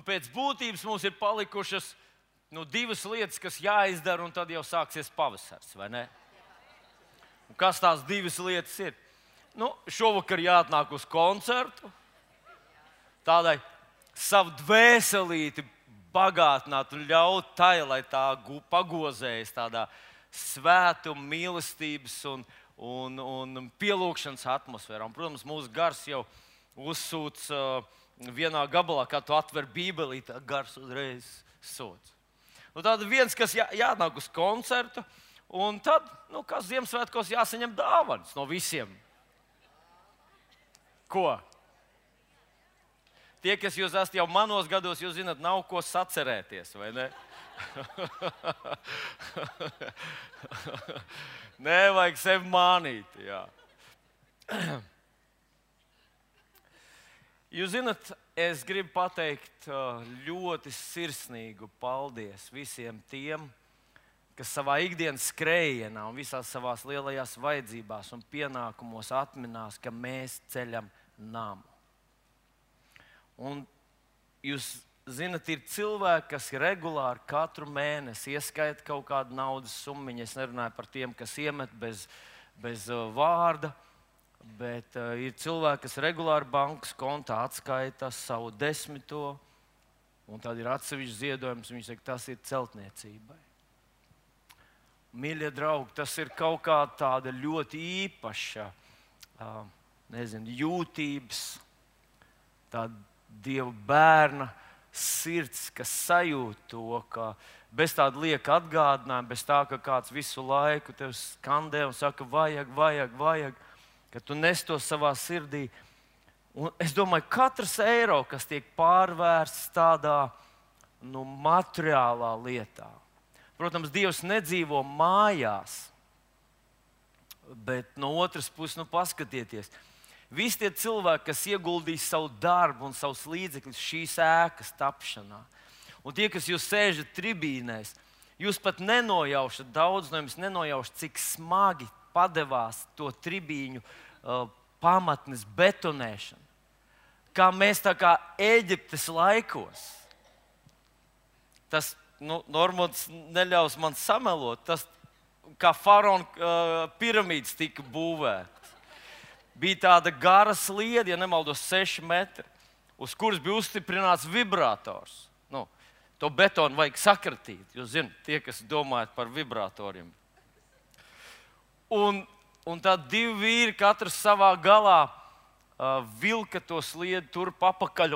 Pēc būtības mums ir palikušas divas lietas, kas jāizdara, un tad jau sāksies pavasars, vai ne? Un kas tās divas lietas ir? Šovakar jāatnāk uz koncertu, tādai savu dvēselīti bagātināt un ļaut tai, lai tā pagozējas tādā svētuma, mīlestības un pielūgšanas atmosfērā. Un, protams, mūsu gars jau uzsūc vienā gabalā, kā tu atver Bībeli, tā gars uzreiz sūc. Tad viens, kas jānāk uz koncertu, un tad, kā Ziemassvētkos jāsaņem dāvanas no visiem. Ko? Tie, kas jūs esat jau manos gados, jūs zināt, nav ko sacerēties, vai ne? Nevajag sevi mānīt, jā. Jūs zināt, es gribu pateikt ļoti sirsnīgu paldies visiem tiem, kas savā ikdienas skrējienā un visās savās lielajās vajadzībās un pienākumos atminās, ka mēs ceļam namu. Un jūs zināt, ir cilvēki, kas regulāri katru mēnesi ieskaita kaut kādu naudas summiņu. Es nerunāju par tiem, kas iemet bez vārda. Bet ir cilvēki, kas regulāri bankas kontā atskaita savu 10. un tad ir atsevišķs ziedojums. Viņi saka, tas ir celtniecībai. Mīļie draugi, tas ir kaut kā tāda ļoti īpaša, jūtības, tāda Dieva bērna sirds, kas sajūt to, ka bez tāda lieka atgādinājuma, bez tā, ka kāds visu laiku tev skandē un saka, vajag. Ka tu nes to savā sirdī. Un es domāju, katrs eiro, kas tiek pārvērsts tādā materiālā lietā. Protams, Dievs nedzīvo mājās, bet no otras puses, paskatieties, visi tie cilvēki, kas ieguldīs savu darbu un savus līdzekļus šīs ēkas tapšanā, un tie, kas jūs sēžat tribīnēs, jūs pat nenojaušat, daudz no jums nenojaušat, cik smagi padevās to tribīņu pamatnes betonēšana. Kā mēs tā kā Ēģiptes laikos. Tas, Normons neļaus man samelot, tas kā faraona piramīdas tika būvētas. Bija tāda gara sliede, ja nemaldos 6 metri, uz kuras bija uzstiprināts vibrators. To betonu vajag sakratīt, jūs zināt, tie, kas domājat par vibratoriem. Un tad 2 vīri, katrs savā galā, vilka to sliedi turp apakaļ.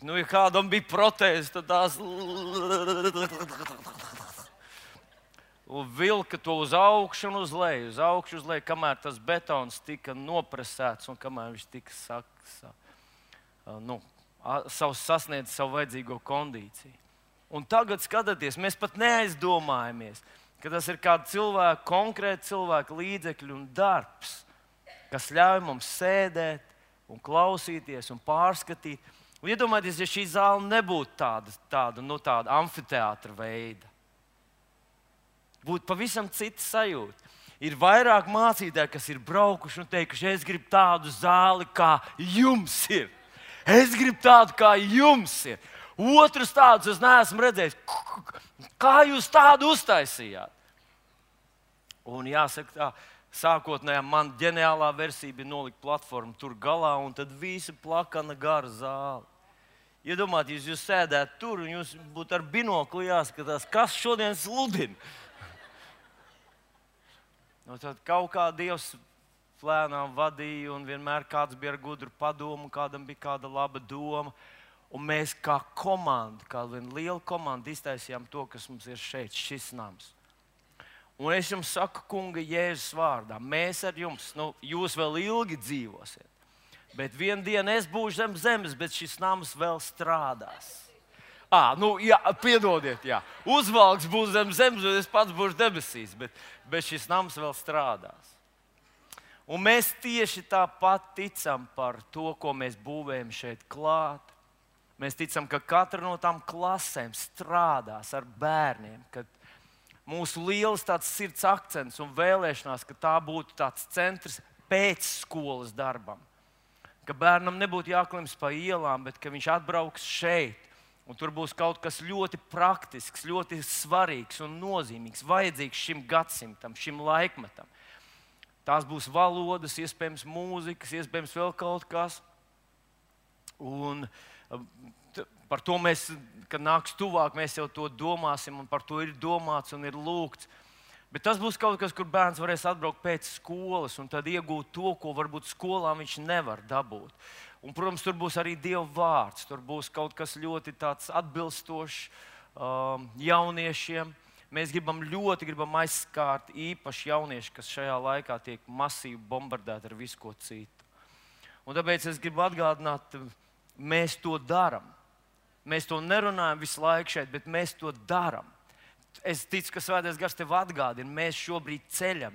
Ja kādam bija protēze, tad tās vilka to uz augšu un uz leju, kamēr tas betons tika nopresēts un kamēr viņš tika sasniedz savu vajadzīgo kondīciju. Un tagad skatieties, mēs pat neaizdomājamies, ka tas ir kāda cilvēka, konkrēta cilvēka līdzekļu un darbs, kas ļauj mums sēdēt un klausīties un pārskatīt. Un iedomājieties, ja šī zāle nebūtu tāda amfiteātra veida. Būtu pavisam cita sajūta. Ir vairāk mācītāji, kas ir braukuši un teikuši, es gribu tādu zāli, kā jums ir. Es gribu tādu, kā jums ir. Otrus tādus es neesmu redzējis. Kā jūs tādu uztaisījāt? Un jāsaka tā, sākotnējā man ģeniālā versija bija nolikt platformu tur galā un tad visa plakana gara zāle. Iedomājieties, jūs sēdētu tur un jūs būtu ar binokli jāskatās, kas šodien sludina. Tad kaut kā Dievs lēnām vadīja un vienmēr kāds bija ar gudru padomu, kādam bija kāda laba doma. Un mēs kā komanda, kā viena liela komanda iztaisījām to, kas mums ir šeit, šis nams. Un es jums saku, kunga Jēzus vārdā, mēs ar jums, jūs vēl ilgi dzīvosiet. Bet vienu dienu es būšu zem zemes, bet šis nams vēl strādās. Piedodiet, jā. Uzvalks būs zem zemes, bet es pats būšu debesīs, bet šis nams vēl strādās. Un mēs tieši tāpat ticam par to, ko mēs būvējam šeit klāt. Mēs ticam, ka katra no tām klasēm strādās ar bērniem, kad mūsu liels tāds sirds akcents un vēlēšanās, ka tā būtu tāds centrs pēcskolas darbam. ka bērnam nebūtu jāklimst pa ielām, bet ka viņš atbrauks šeit. Un tur būs kaut kas ļoti praktisks, ļoti svarīgs un nozīmīgs, vajadzīgs šim gadsimtam, šim laikmetam. Tās būs valodas, iespējams, mūzikas, iespējams, vēl kaut kas. Un par to mēs, kad nāks tuvāk, mēs jau to domāsim, un par to ir domāts un ir lūgts. Bet tas būs kaut kas, kur bērns varēs atbraukt pēc skolas un tad iegūt to, ko varbūt skolā viņš nevar dabūt. Un, protams, tur būs arī Dieva vārds. Tur būs kaut kas ļoti tāds atbilstošs jauniešiem. Mēs ļoti gribam aizskārt īpaši jaunieši, kas šajā laikā tiek masīvi bombardēti ar visu ko citu. Un tāpēc es gribu atgādināt, mēs to darām. Mēs to nerunājam visu laiku šeit, bet mēs to darām. Es ticu, ka Svētais Gars tev atgādina, mēs šobrīd ceļam.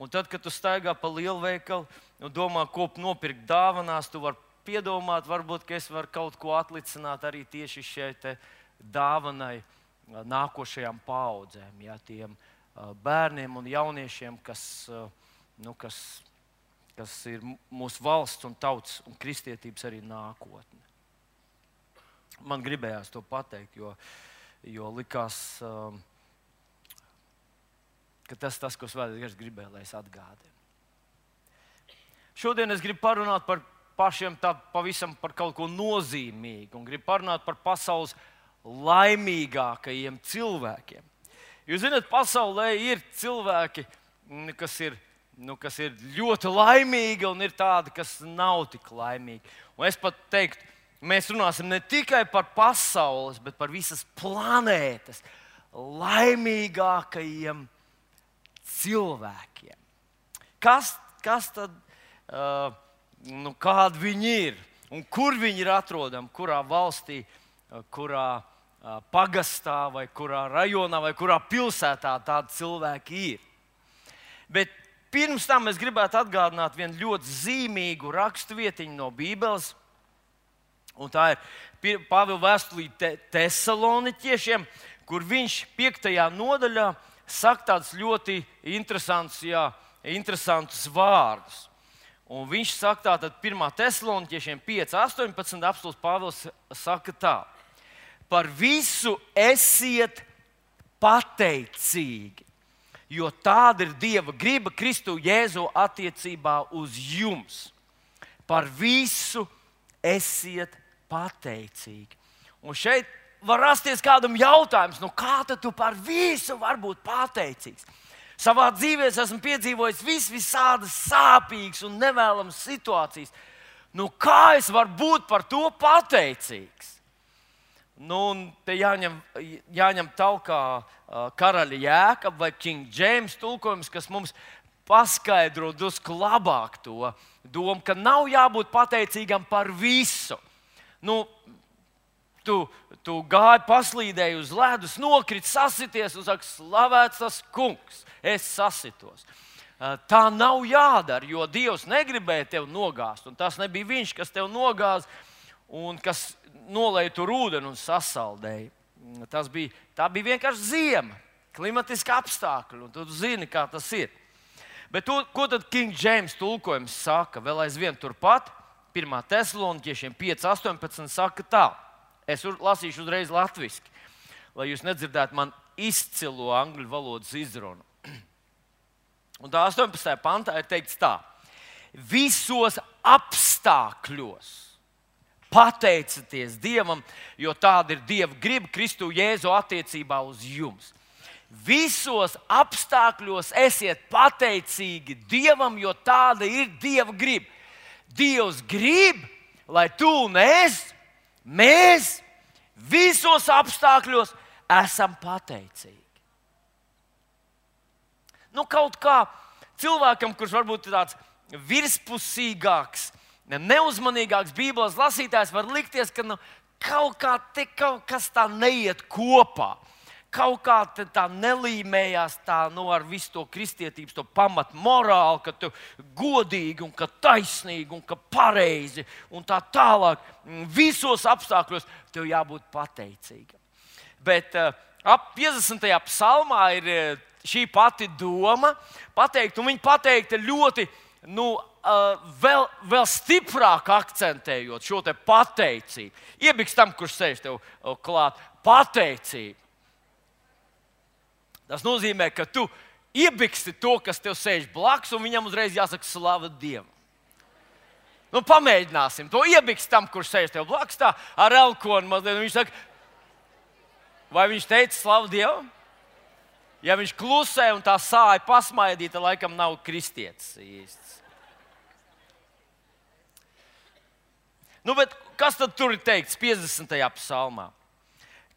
Un tad, kad tu staigā pa lielveikalu un domā, ko nopirkt dāvanās, tu vari piedomāt, varbūt, ka es varu kaut ko atlicināt arī tieši šai dāvanai nākošajām paaudzēm, ja, tiem bērniem un jauniešiem, kas ir mūsu valsts un tautas un kristietības arī nākotne. Man gribējās to pateikt, jo likās, ka tas, ko Svētais Gars gribēja, lai es atgādinu. Šodien es gribu parunāt par pašiem pavisam par kaut ko nozīmīgu un gribu parunāt par pasaules laimīgākajiem cilvēkiem. Jūs zināt, pasaulē ir cilvēki, kas ir ļoti laimīgi un ir tādi, kas nav tik laimīgi. Un es pat teiktu, mēs runāsim ne tikai par pasaules, bet par visas planētas laimīgākajiem cilvēkiem. Kas tad, kādi viņi ir un kur viņi ir atrodami, kurā valstī, kurā pagastā vai kurā rajonā vai kurā pilsētā tādi cilvēki ir. Bet pirms tam es gribētu atgādināt vienu ļoti zīmīgu raksturvietiņu no Bībeles. Un tā ir Pāvila vēstulīte Tesaloniķiešiem, kur viņš 5. nodaļā saka tādus ļoti interesantus vārdus. Un viņš saka tātad 1. Tesaloniķiešiem 5.18. apostuls Pāvils saka tā: par visu esiet pateicīgi, jo tāda ir Dieva griba Kristu Jēzu attiecībā uz jums. Par visu esiet pateicīgi. Un šeit var rasties kādam jautājums, kā tad tu par visu vari būt pateicīgs? Savā dzīvē esmu piedzīvojis visādas sāpīgas un nevēlamas situācijas. Kā es varu būt par to pateicīgs? Te jāņem talkā karaļa Jēkaba vai King James tulkojums, kas mums paskaidro drusku labāk to domu, ka nav jābūt pateicīgam par visu. Tu gāji, paslīdēji uz ledus, nokriti, sasities un saki, slavēts tas kungs, es sasitos. Tā nav jādara, jo Dievs negribēja tevi nogāzt. Un tas nebija viņš, kas tevi nogāza un kas nolēja tur ūdeni un sasaldēja. Tā bija vienkārši ziema, klimatiski apstākļi, un tu zini, kā tas ir. Bet ko tad King James tulkojums saka? Vēl aizvien turpat, 1. Tesaloniķiešiem 5.18 saka tā. Es lasīšu uzreiz latviski, lai jūs nedzirdētu man izcilo angļu valodas izrunu. Un tā 18. pantā ir teikts tā: visos apstākļos pateicieties Dievam, jo tāda ir Dieva griba Kristu Jēzu attiecībā uz jums. Visos apstākļos esiet pateicīgi Dievam, jo tāda ir Dieva griba. Dievs grib, lai tu un mēs visos apstākļos esam pateicīgi. Kaut kā cilvēkam, kurš varbūt ir tāds virspusīgāks, neuzmanīgāks Bībeles lasītājs, var likties, ka kaut kas tā neiet kopā. Kaut kā tā nelīmējās ar visu to kristietības, to pamatu morāli, ka tu godīgi un ka taisnīgi un ka pareizi un tā tālāk. Visos apstākļos tev jābūt pateicīgam. Bet ap 50. psalmā ir šī pati doma pateikt, un viņa pateikta ļoti vēl stiprāk akcentējot šo te pateicību. Iebiks tam, kurš sēž tev klāt, pateicību. Tas nozīmē, ka tu iebiksti to, kas tev sēž blakus, un viņam uzreiz jāsaka slava Dievam. Nu, pamēģināsim to. Iebikst tam, kurš sēž tev blakus, tā ar elkonu mazliet. Viņš saka, vai viņš teica slavu Dievam? Ja viņš klusē un tā sāja pasmaidīta, laikam nav kristietis īsts. Nu, bet kas tad tur ir teikts 50. psalmā?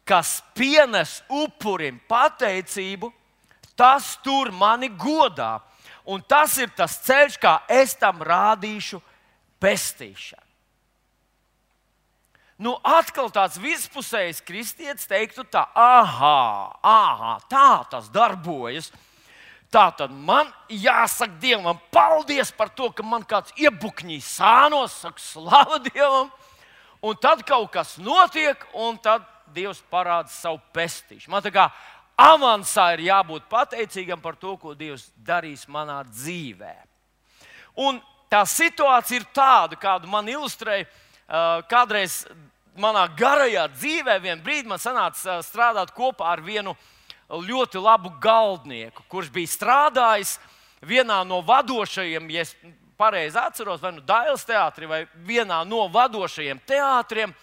Kas pienes upurim pateicību, tas tur mani godā. Un tas ir tas ceļš, kā es tam rādīšu pestīšanu. Nu, atkal tāds vispusējs kristietis teiktu tā, tā tas darbojas. Tā tad man jāsaka Dievam paldies par to, ka man kāds iebukņīs sānos, saka slava Dievam. Un tad kaut kas notiek, un tad Dievs parāda savu pestīšanu. Man tā kā avansā ir jābūt pateicīgam par to, ko Dievs darīs manā dzīvē. Un tā situācija ir tāda, kādu man ilustrēja kādreiz manā garajā dzīvē. Vienu brīdi man sanāca strādāt kopā ar vienu ļoti labu galdnieku, kurš bija strādājis vienā no vadošajiem, ja es pareizi atceros, vai nu Dailes teātrī, vai vienā no vadošajiem teātriem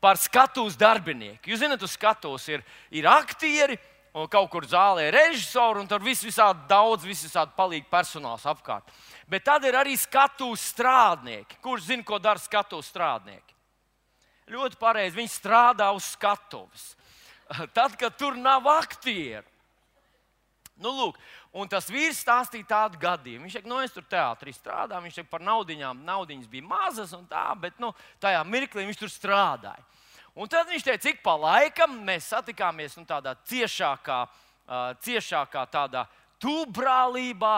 par skatuves darbinieku. Jūs zināt, uz skatuves ir aktieri, un kaut kur zālē ir režisori, un tur visādi daudz, visādi palīgi personāls apkārt. Bet tad ir arī skatuves strādnieki. Kurš zina, ko dara skatuves strādnieki? Ļoti pareizi, viņi strādā uz skatuves. Tad, kad tur nav aktieru. Nu, lūk, un tas vīrs stāstīja tādu gadījumu. Viņš teica, es tur teātrī strādāju, viņš teica, par naudiņas bija mazas un tā, bet tajā mirklī viņš tur strādāja. Un tad viņš teica, cik pa laikam mēs satikāmies tādā ciešākā tādā tūbrālībā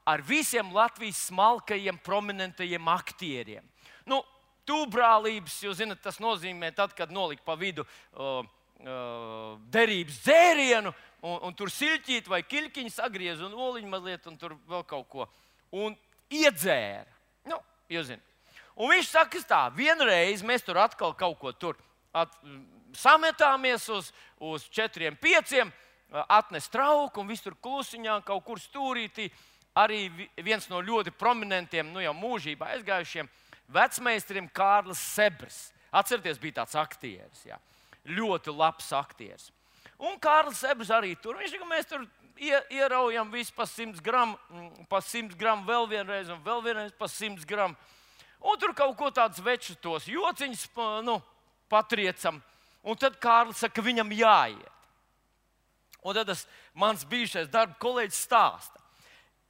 ar visiem Latvijas smalkajiem, prominentajiem aktieriem. Nu, tūbrālības, jūs zināt, tas nozīmē tad, kad nolika pa vidu derības dzērienu, un tur siļķīt vai kiļkiņu sagriez un oliņu mazliet, un tur vēl kaut ko. Un iedzēra. Nu, jūs zināt. Un viņš saka tā, vienreiz mēs tur atkal kaut ko tur sametāmies uz 4-5, atnes trauku un viss tur klusiņā kaut kur stūrītī. Arī viens no ļoti prominentiem, jau mūžībā aizgājušiem vecmeistariem Kārlis Sebrs. Atcerieties, bija tāds aktieris, jā. Ļoti labs aktieris. Un Kārlis Sebrs arī tur. Viņš teica, mēs tur ieraujam visu pa 100 gramu, vēl vienreiz un vēl vienreiz pa 100 gramu. Un tur kaut ko tāds večus tos jociņus patriecam. Un tad Kārlis saka, ka viņam jāiet. Un tad tas mans bijušais darba kolēģis stāsta.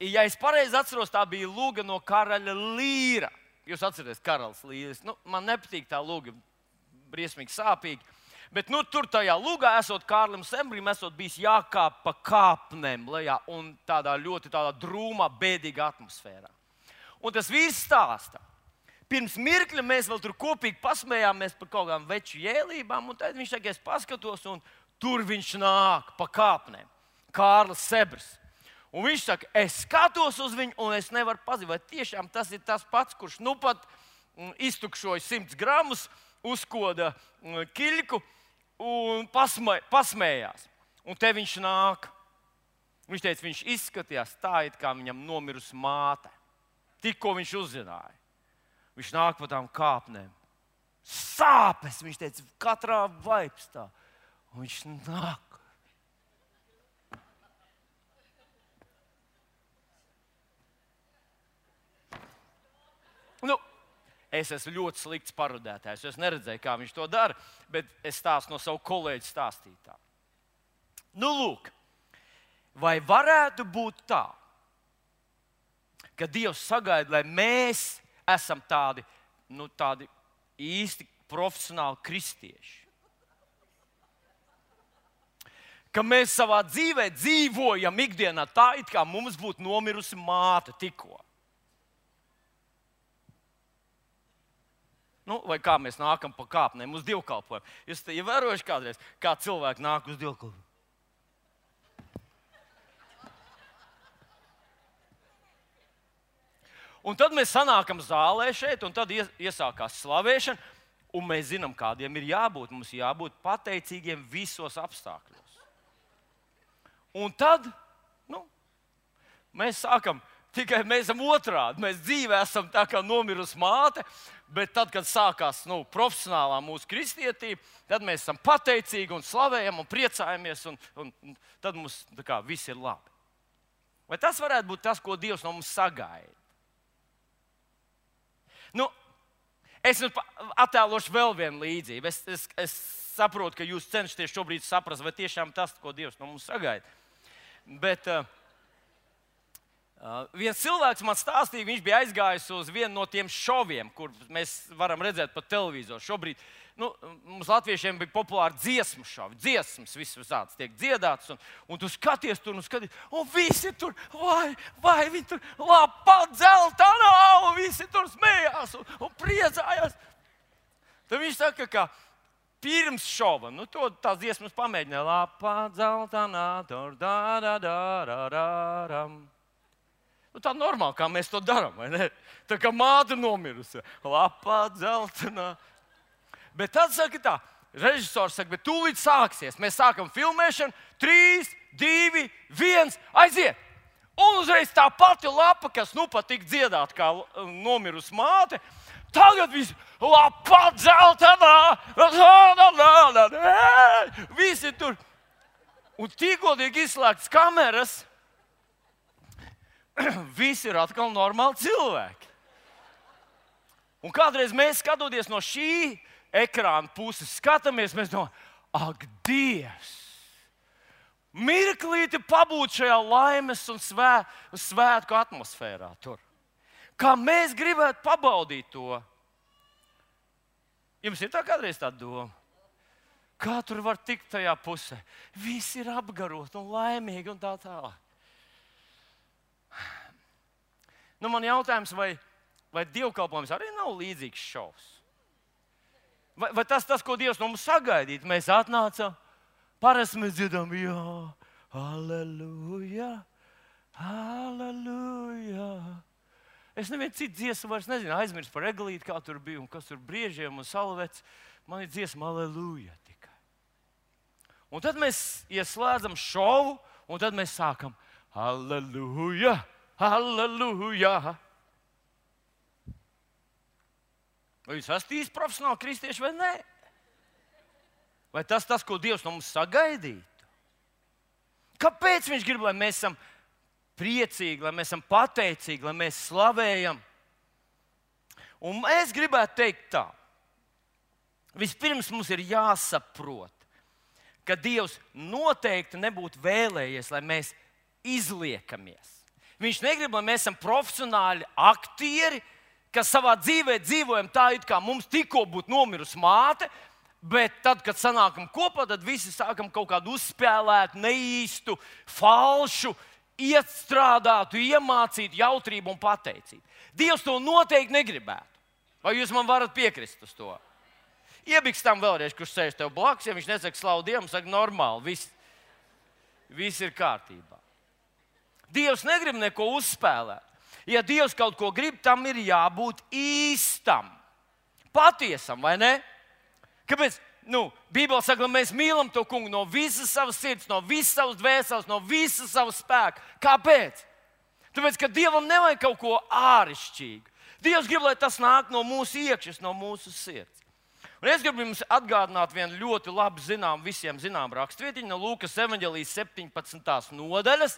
Ja es pareizi atceros, tā bija lūga no karaļa Līra. Jūs atceraties, karalis Līris. Man nepatīk tā lūga, briesmīgi sāpīgi. Bet tur tajā lūgā, esot Kārlim Sebrim, esot bijis jākāp pa kāpnēm lejā un tādā ļoti drūmā, bēdīgā atmosfērā. Un tas vīrs stāsta. Pirms mirkļa mēs vēl tur kopīgi pasmējāmies par kaut kādām veču jēlībām, un tad viņš saka, es paskatos, un tur viņš nāk pa kāpnēm. Kārlis Sebrs. Un viņš saka, es skatos uz viņu, un es nevaru pazīt, vai tiešām tas ir tas pats, kurš pat iztukšoja 100 gramus, uzkoda kiļku un pasmējās. Un te viņš nāk. Viņš teica, viņš izskatījās tā, it kā viņam nomirusi māte. Tikko viņš uzzināja. Viņš nāk pa tām kāpnēm. Sāpes, viņš teica, katrā vaipstā. Un viņš nāk. Es esmu ļoti slikts parodētājs. Es neredzēju, kā viņš to dara, bet es stāstu no savu kolēģu stāstītā. Nu, lūk, vai varētu būt tā, ka Dievs sagaida, lai mēs esam tādi īsti profesionāli kristieši? Ka mēs savā dzīvē dzīvojam ikdienā tā, it kā mums būtu nomirusi māte tikko. Vai kā mēs nākam pa kāpnēm uz dievkalpojumu. Jūs te ievērojuši kādreiz, kā cilvēki nāk uz dievkalpojumu? Un tad mēs sanākam zālē šeit, un tad iesākās slavēšana. Un mēs zinām, kādiem ir jābūt. Mums jābūt pateicīgiem visos apstākļos. Un tad mēs sākam, tikai mēs esam otrādi. Mēs dzīvē esam tā kā nomirusi māte, bet tad, kad sākās profesionālā mūsu kristietība, tad mēs esam pateicīgi un slavējam un priecājamies, un tad mums viss ir labi. Vai tas varētu būt tas, ko Dievs no mums sagaida? Es attēlošu vēl vienu līdzību. Es saprotu, ka jūs cenšaties šobrīd saprast, vai tiešām tas, ko Dievs no mums sagaida. Bet viens cilvēks man stāstīja, viņš bija aizgājis uz vienu no tiem šoviem, kur mēs varam redzēt pa televizoru. Šobrīd mums latviešiem bija populāri dziesmu šovi. Dziesmas visādas tiek dziedātas, un tu skaties tur, un visi tur, vai viņi tur lapā dzeltenā, un visi tur smējās un priecājās. Tad viņš saka, ka pirms šova, tās dziesmas pamēģināja. Lapā dzeltenā, tur da-da-da-da-da-ram. Tā normāli, kā mēs to darām, vai ne? Tā kā māte nomirusi. Lapā dzeltenā. Bet tad saka tā, režisors saka, bet tūlīt sāksies. Mēs sākam filmēšanu, 3, 2, 1, aiziet! Un uzreiz tā pati lapa, kas pat tik dziedāt kā nomirusi māte, tagad viss lapā dzeltenā, visi tur. Un tikko tiek izslēgtas kameras, visi ir atkal normāli cilvēki. Un kādreiz mēs skatoties no šī ekrāna puses, skatāmies, mēs domājam, ak, Dievs! Mirklīti pabūt šajā laimes un svētku atmosfērā tur. Kā mēs gribētu pabaudīt to. Jums ir tā kādreiz tā doma? Kā tur var tikt tajā pusē? Visi ir apgaroti un laimīgi un tā tālāk. Man jautājums, vai dievkalpojums arī nav līdzīgs šovs? Vai tas, ko Dievs no mums sagaidītu? Mēs atnācām, parasti mēs dziedam, jā, halleluja, halleluja. Es nevienu citu dziesmu vairs nezinu, aizmirst par eglīti, kā tur bija un kas tur briežiem un salvets. Man ir dziesma halleluja tikai. Un tad mēs ieslēdzam šovu, un tad mēs sākam halleluja, halleluja. Vai jūs esat īsti profesionāli kristieši vai nē? Vai tas, ko Dievs no mums sagaidītu? Kāpēc viņš grib, lai mēs esam priecīgi, lai mēs esam pateicīgi, lai mēs slavējam? Un es gribētu teikt tā. Vispirms mums ir jāsaprot, ka Dievs noteikti nebūtu vēlējies, lai mēs izliekamies. Viņš negrib, lai mēs esam profesionāli aktieri, kas savā dzīvē dzīvojam tā, it kā mums tikko būtu nomirusi māte, bet tad, kad sanākam kopā, tad visi sākam kaut kādu uzspēlētu, neīstu, falšu, iestrādātu, iemācītu jautrību un pateicību. Dievs to noteikti negribētu. Vai jūs man varat piekrist uz to? Iebikstam vēlreiz, kurš sēž tev blakus, ja viņš nesaka slavu Dievam, saka normāli, viss ir kārtībā. Dievs negrib neko uzspēlēt. Ja Dievs kaut ko grib, tam ir jābūt īstam, patiesam, vai ne? Kāpēc? Bībele saka, ka mēs mīlam to kungu no visas savas sirds, no visas savas dvēseles, no visas savas spēka. Kāpēc? Tāpēc, ka Dievam nevajag kaut ko āršķirīgu. Dievs grib, lai tas nāk no mūsu iekšas, no mūsu sirds. Un es gribu jums atgādināt vienu ļoti labi visiem zinām rakstvietiņu no Lūkas evaņģēlijas 17. nodaļas.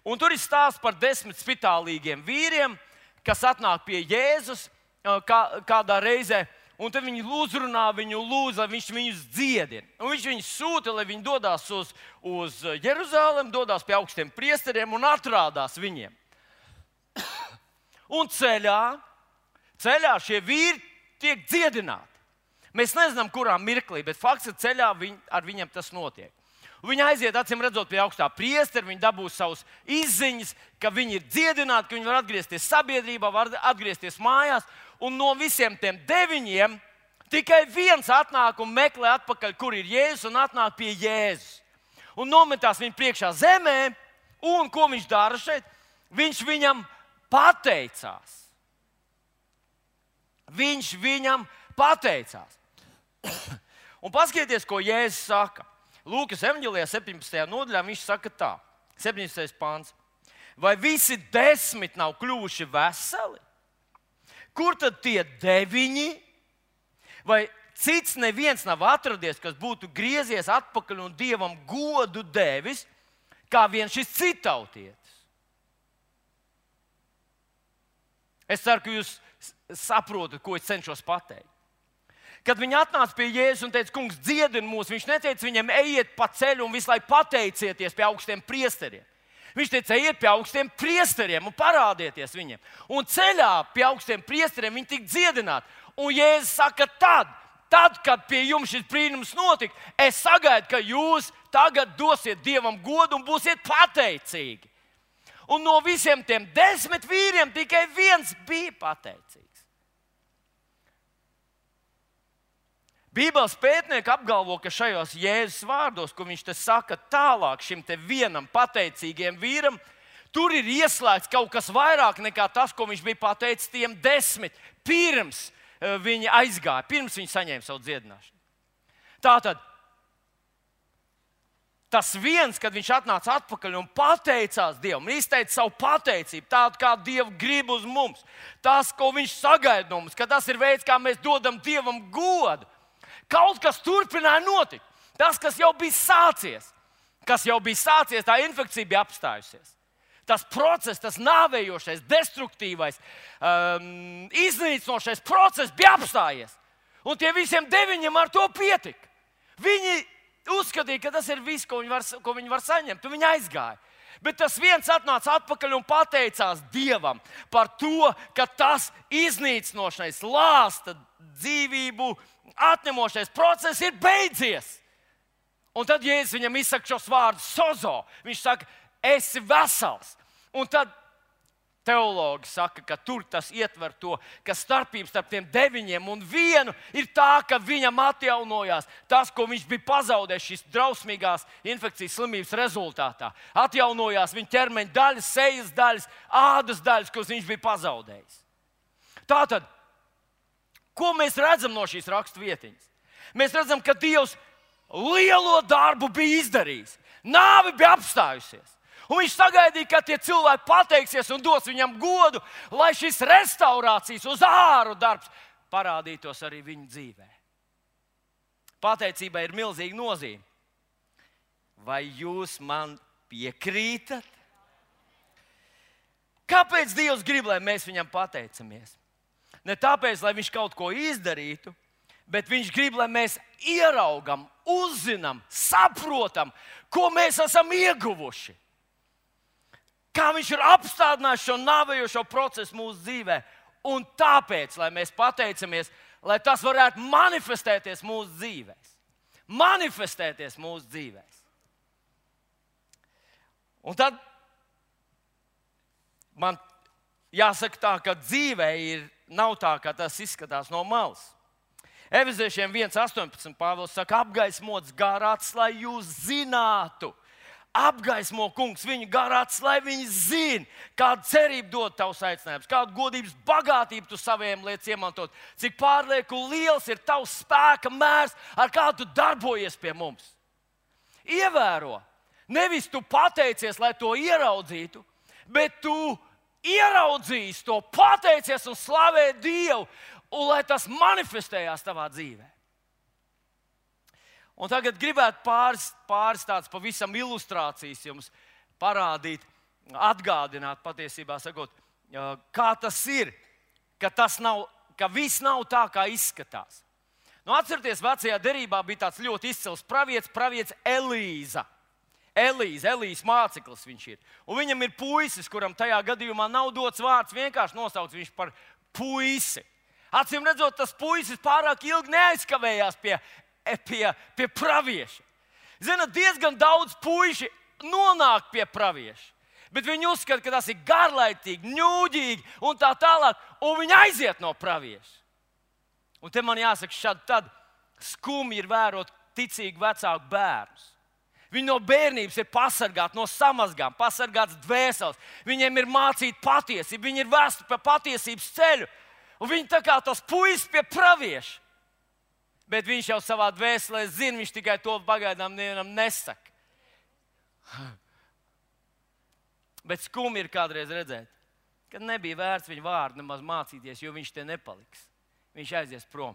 Un tur ir stāsts par 10 spitālīgiem vīriem, kas atnāk pie Jēzus kādā reizē. Un tad viņi uzrunā viņu, lūdz, lai viņš viņus dziedina. Un viņš viņus sūta, lai viņi dodas uz Jeruzalem, dodas pie augstiem priesteriem un atrādās viņiem. Un ceļā šie vīri tiek dziedināti. Mēs nezinām, kurā mirklī, bet fakts ir, ceļā ar viņiem tas notiek. Viņi aiziet, acīm redzot, pie augstā priestera, viņi dabūs savus izziņas, ka viņi ir dziedināti, ka viņi var atgriezties sabiedrībā, var atgriezties mājās. Un no visiem tiem 9 tikai viens atnāk un meklē atpakaļ, kur ir Jēzus, un atnāk pie Jēzus. Un nometās viņu priekšā zemē, un ko viņš dara šeit? Viņš viņam pateicās. Viņš viņam pateicās. Un paskatieties, ko Jēzus saka. Lūkas evanģēlijā 17. nodaļā viņš saka tā, 17. pāns. Vai visi 10 nav kļuvuši veseli? Kur tad tie 9? Vai cits neviens nav atradies, kas būtu griezies atpakaļ un Dievam godu devis, kā vien šis citautietis? Es ceru, ka jūs saprotat, ko es cenšos pateikt. Kad viņi atnāca pie Jēzus un teica, kungs, dziedini mūs, viņš neteica viņiem, ejiet pa ceļu un visu laiku pateicieties pie augstiem priesteriem. Viņš teica, ejiet pie augstiem priesteriem un parādieties viņiem. Un ceļā pie augstiem priesteriem viņi tika dziedināti. Un Jēzus saka, tad, kad pie jums šis brīnums notika, es sagaidu, ka jūs tagad dosiet Dievam godu un būsiet pateicīgi. Un no visiem tiem 10 vīriem tikai viens bija pateicīgs. Bībeles pētnieki apgalvo, ka šajos Jēzus vārdos, ko viņš te saka tālāk šim te vienam pateicīgiem vīram, tur ir ieslēgts kaut kas vairāk nekā tas, ko viņš bija pateicis tiem 10 pirms viņi aizgāja, pirms viņi saņēma savu dziedināšanu. Tātad, tas viens, kad viņš atnāca atpakaļ un pateicās Dievam, izteica savu pateicību, tādu, kā Dieva grib uz mums, tas, ko viņš sagaida no mums, ka tas ir veids, kā mēs dodam Dievam godu. Kaut kas turpināja notikt. Tas, kas jau bija sācies, tā infekcija bija apstājusies. Tas process, tas nāvējošais, destruktīvais, iznīcinošais process bija apstājies. Un tie visiem 9 ar to pietika. Viņi uzskatīja, ka tas ir viss, ko viņi var saņemt, un viņi aizgāja. Bet tas viens atnāca atpakaļ un pateicās Dievam par to, ka tas iznīcinošais, lāsta dzīvību atņemošais process ir beidzies. Un tad Jēzus viņam izsaka šos vārdus sozo. Viņš saka, esi vesels. Un tad teologi saka, ka tur tas ietver to, ka starpība starp tiem 9 un 1 ir tā, ka viņam atjaunojās tas, ko viņš bija pazaudējis šīs drausmīgās infekcijas slimības rezultātā. Atjaunojās viņa ķermeņa daļas, sejas daļas, ādas daļas, kuras viņš bija pazaudējis. Tātad, ko mēs redzam no šīs raksturvietiņas? Mēs redzam, ka Dievs lielo darbu bija izdarījis. Nāve bija apstājusies. Un viņš sagaidīja, ka tie cilvēki pateiksies un dos viņam godu, lai šis restaurācijas uz āru darbs parādītos arī viņa dzīvē. Pateicībai ir milzīga nozīme. Vai jūs man piekrītat? Kāpēc Dievs grib, lai mēs viņam pateicamies? Ne tāpēc, lai viņš kaut ko izdarītu, bet viņš grib, lai mēs ieraugam, uzzinām, saprotam, ko mēs esam ieguvuši. Kā viņš ir apstādinājis šo nāvējošo procesu mūsu dzīvē. Un tāpēc, lai mēs pateicamies, lai tas varētu manifestēties mūsu dzīvēs. Manifestēties mūsu dzīvēs. Un tad man jāsaka tā, ka dzīvē nav tā, kā tas izskatās no malas. Efeziešiem 1,18 Pāvils saka, apgaismots garāts, lai jūs zinātu. Apgaismo, kungs, viņu garāts, lai viņi zina, kādu cerību dod tavs aicinājums, kādu godības bagātību tu saviem lietas iemantot, cik pārlieku liels ir tavs spēka mērs, ar kādu tu darbojies pie mums. Ievēro, nevis tu pateicies, lai to ieraudzītu, bet tu ieraudzīs to, pateicies un slavē Dievu, un lai tas manifestējās tavā dzīvē. Un tagad gribētu pāris tādas pavisam ilustrācijas jums parādīt, atgādināt patiesībā, sakot, kā tas ir, ka viss nav tā, kā izskatās. Atcerieties, vecajā derībā bija tāds ļoti izcils pravietis Elīza. Elijas māceklis viņš ir. Un viņam ir puisis, kuram tajā gadījumā nav dots vārds, vienkārši nosauc viņš par puisi. Acīm redzot, tas puisis pārāk ilgi neaizkavējās pie pravieša. Zināt, diezgan daudz puiši nonāk pie pravieša, bet viņi uzskata, ka tas ir garlaicīgi, ņūģīgi un tā tālāk, un viņi aiziet no pravieša. Un te man jāsaka, šad tad skumji ir vērot ticīgu vecāku bērnus. Viņi no bērnības ir pasargāti no samazgām, pasargāts dvēseles. Viņiem ir mācīta patiesība, viņi ir vēsti pa patiesības ceļu. Un viņi tā kā tas puisis pie pravieša. Bet viņš jau savā dvēselē zina, viņš tikai to pagaidām nevienam nesaka. Bet skumji ir kādreiz redzēt, kad nebija vērts viņa vārdu nemaz mācīties, jo viņš te nepaliks. Viņš aizies prom.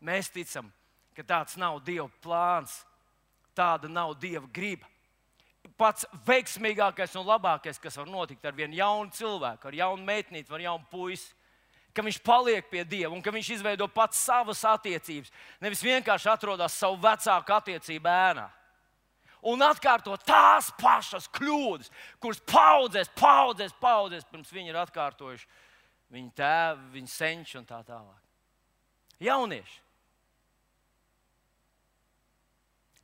Mēs ticam, ka tāds nav Dieva plāns, tāda nav Dieva griba. Pats veiksmīgākais un labākais, kas var notikt ar vienu jaunu cilvēku, ar jaunu meitnīti, ar jaunu puisi, ka viņš paliek pie Dieva un ka viņš izveido pats savas attiecības. Nevis vienkārši atrodas savu vecāku attiecību ēnā. Un atkārto tās pašas kļūdas, kuras paudzēs pirms viņi ir atkārtojuši viņa tēvi, viņa senči un tā tālāk. Jaunieši.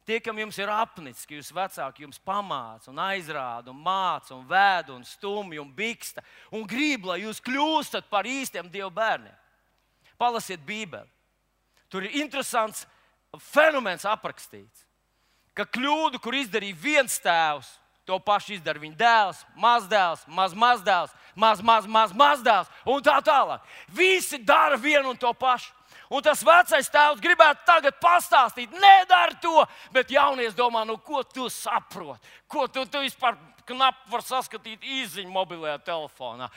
Tie, kam jums ir apnicis, ka jūs vecāki jums pamāca un aizrāda un māca un vēda un stumj un biksta un grib, lai jūs kļūstat par īstiem Dieva bērniem. Palasiet Bībeli. Tur ir interesants fenomens aprakstīts, ka kļūdu, kur izdarīja viens tēvs, to pašu izdara viņa dēls, mazdēls, mazdēls un tā tālāk. Visi dara vienu un to pašu. Un tas vecais tēvs gribētu tagad pastāstīt, nedara to, bet jaunies domā, ko tu saproti? Ko tu vispār knapi var saskatīt izziņu mobilajā telefonā?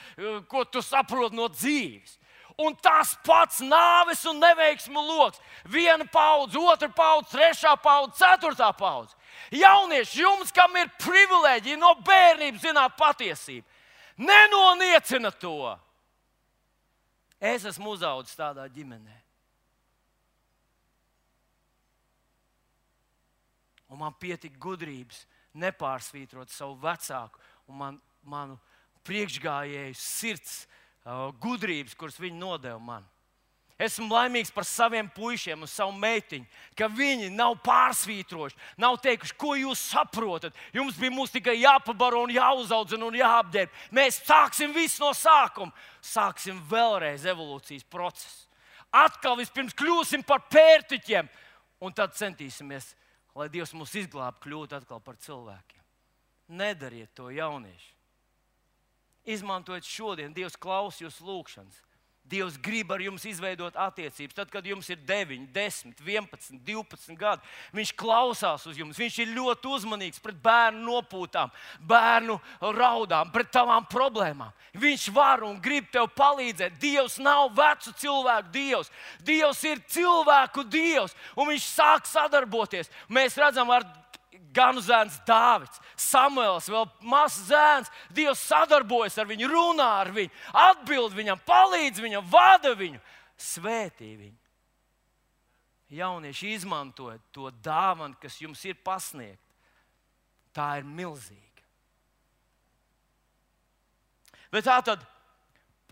Ko tu saproti no dzīves? Un tas pats nāves un neveiksmu loks. Viena paudze, otra paudze, trešā paudze, ceturtā paudze. Jaunieši, jums, kam ir privilēģija no bērnības zināt patiesību, nenoniecina to. Es esmu uzaudzis tādā ģimenē. Un man pietika gudrības nepārsvītrot savu vecāku un manu priekšgājēju sirds gudrības, kuras viņi nodeva man. Esmu laimīgs par saviem puišiem un savu meitiņu, ka viņi nav pārsvītrojuši, nav teikuši, ko jūs saprotat. Jums bija mums tikai jāpabaro un jāuzaudzina un jāapģērb. Mēs sāksim visu no sākuma. Sāksim vēlreiz evolūcijas procesu. Atkal vispirms kļūsim par pērtiķiem un tad centīsimies, lai Dievs mūs izglābtu, kļūt atkal par cilvēkiem. Nedariet to, jaunieši. Izmantojiet šodien, Dievs klausa jūsu lūgšanas. Dievs grib ar jums izveidot attiecības. Tad, kad jums ir 9, 10, 11, 12 gadi, Viņš klausās uz jums. Viņš ir ļoti uzmanīgs pret bērnu nopūtām, bērnu raudām, pret tavām problēmām. Viņš var un grib tev palīdzēt. Dievs nav vecu cilvēku Dievs. Dievs ir cilvēku Dievs, un Viņš sāk sadarboties. Mēs redzam ar ganu zēns Dāvids, Samuels, vēl mazs zēns. Dievs sadarbojas ar viņu, runā ar viņu, atbild viņam, palīdz viņam, vada viņu, svētī viņu. Jaunieši, izmantojiet to dāvanu, kas jums ir pasniegta. Tā ir milzīga. Bet tā tad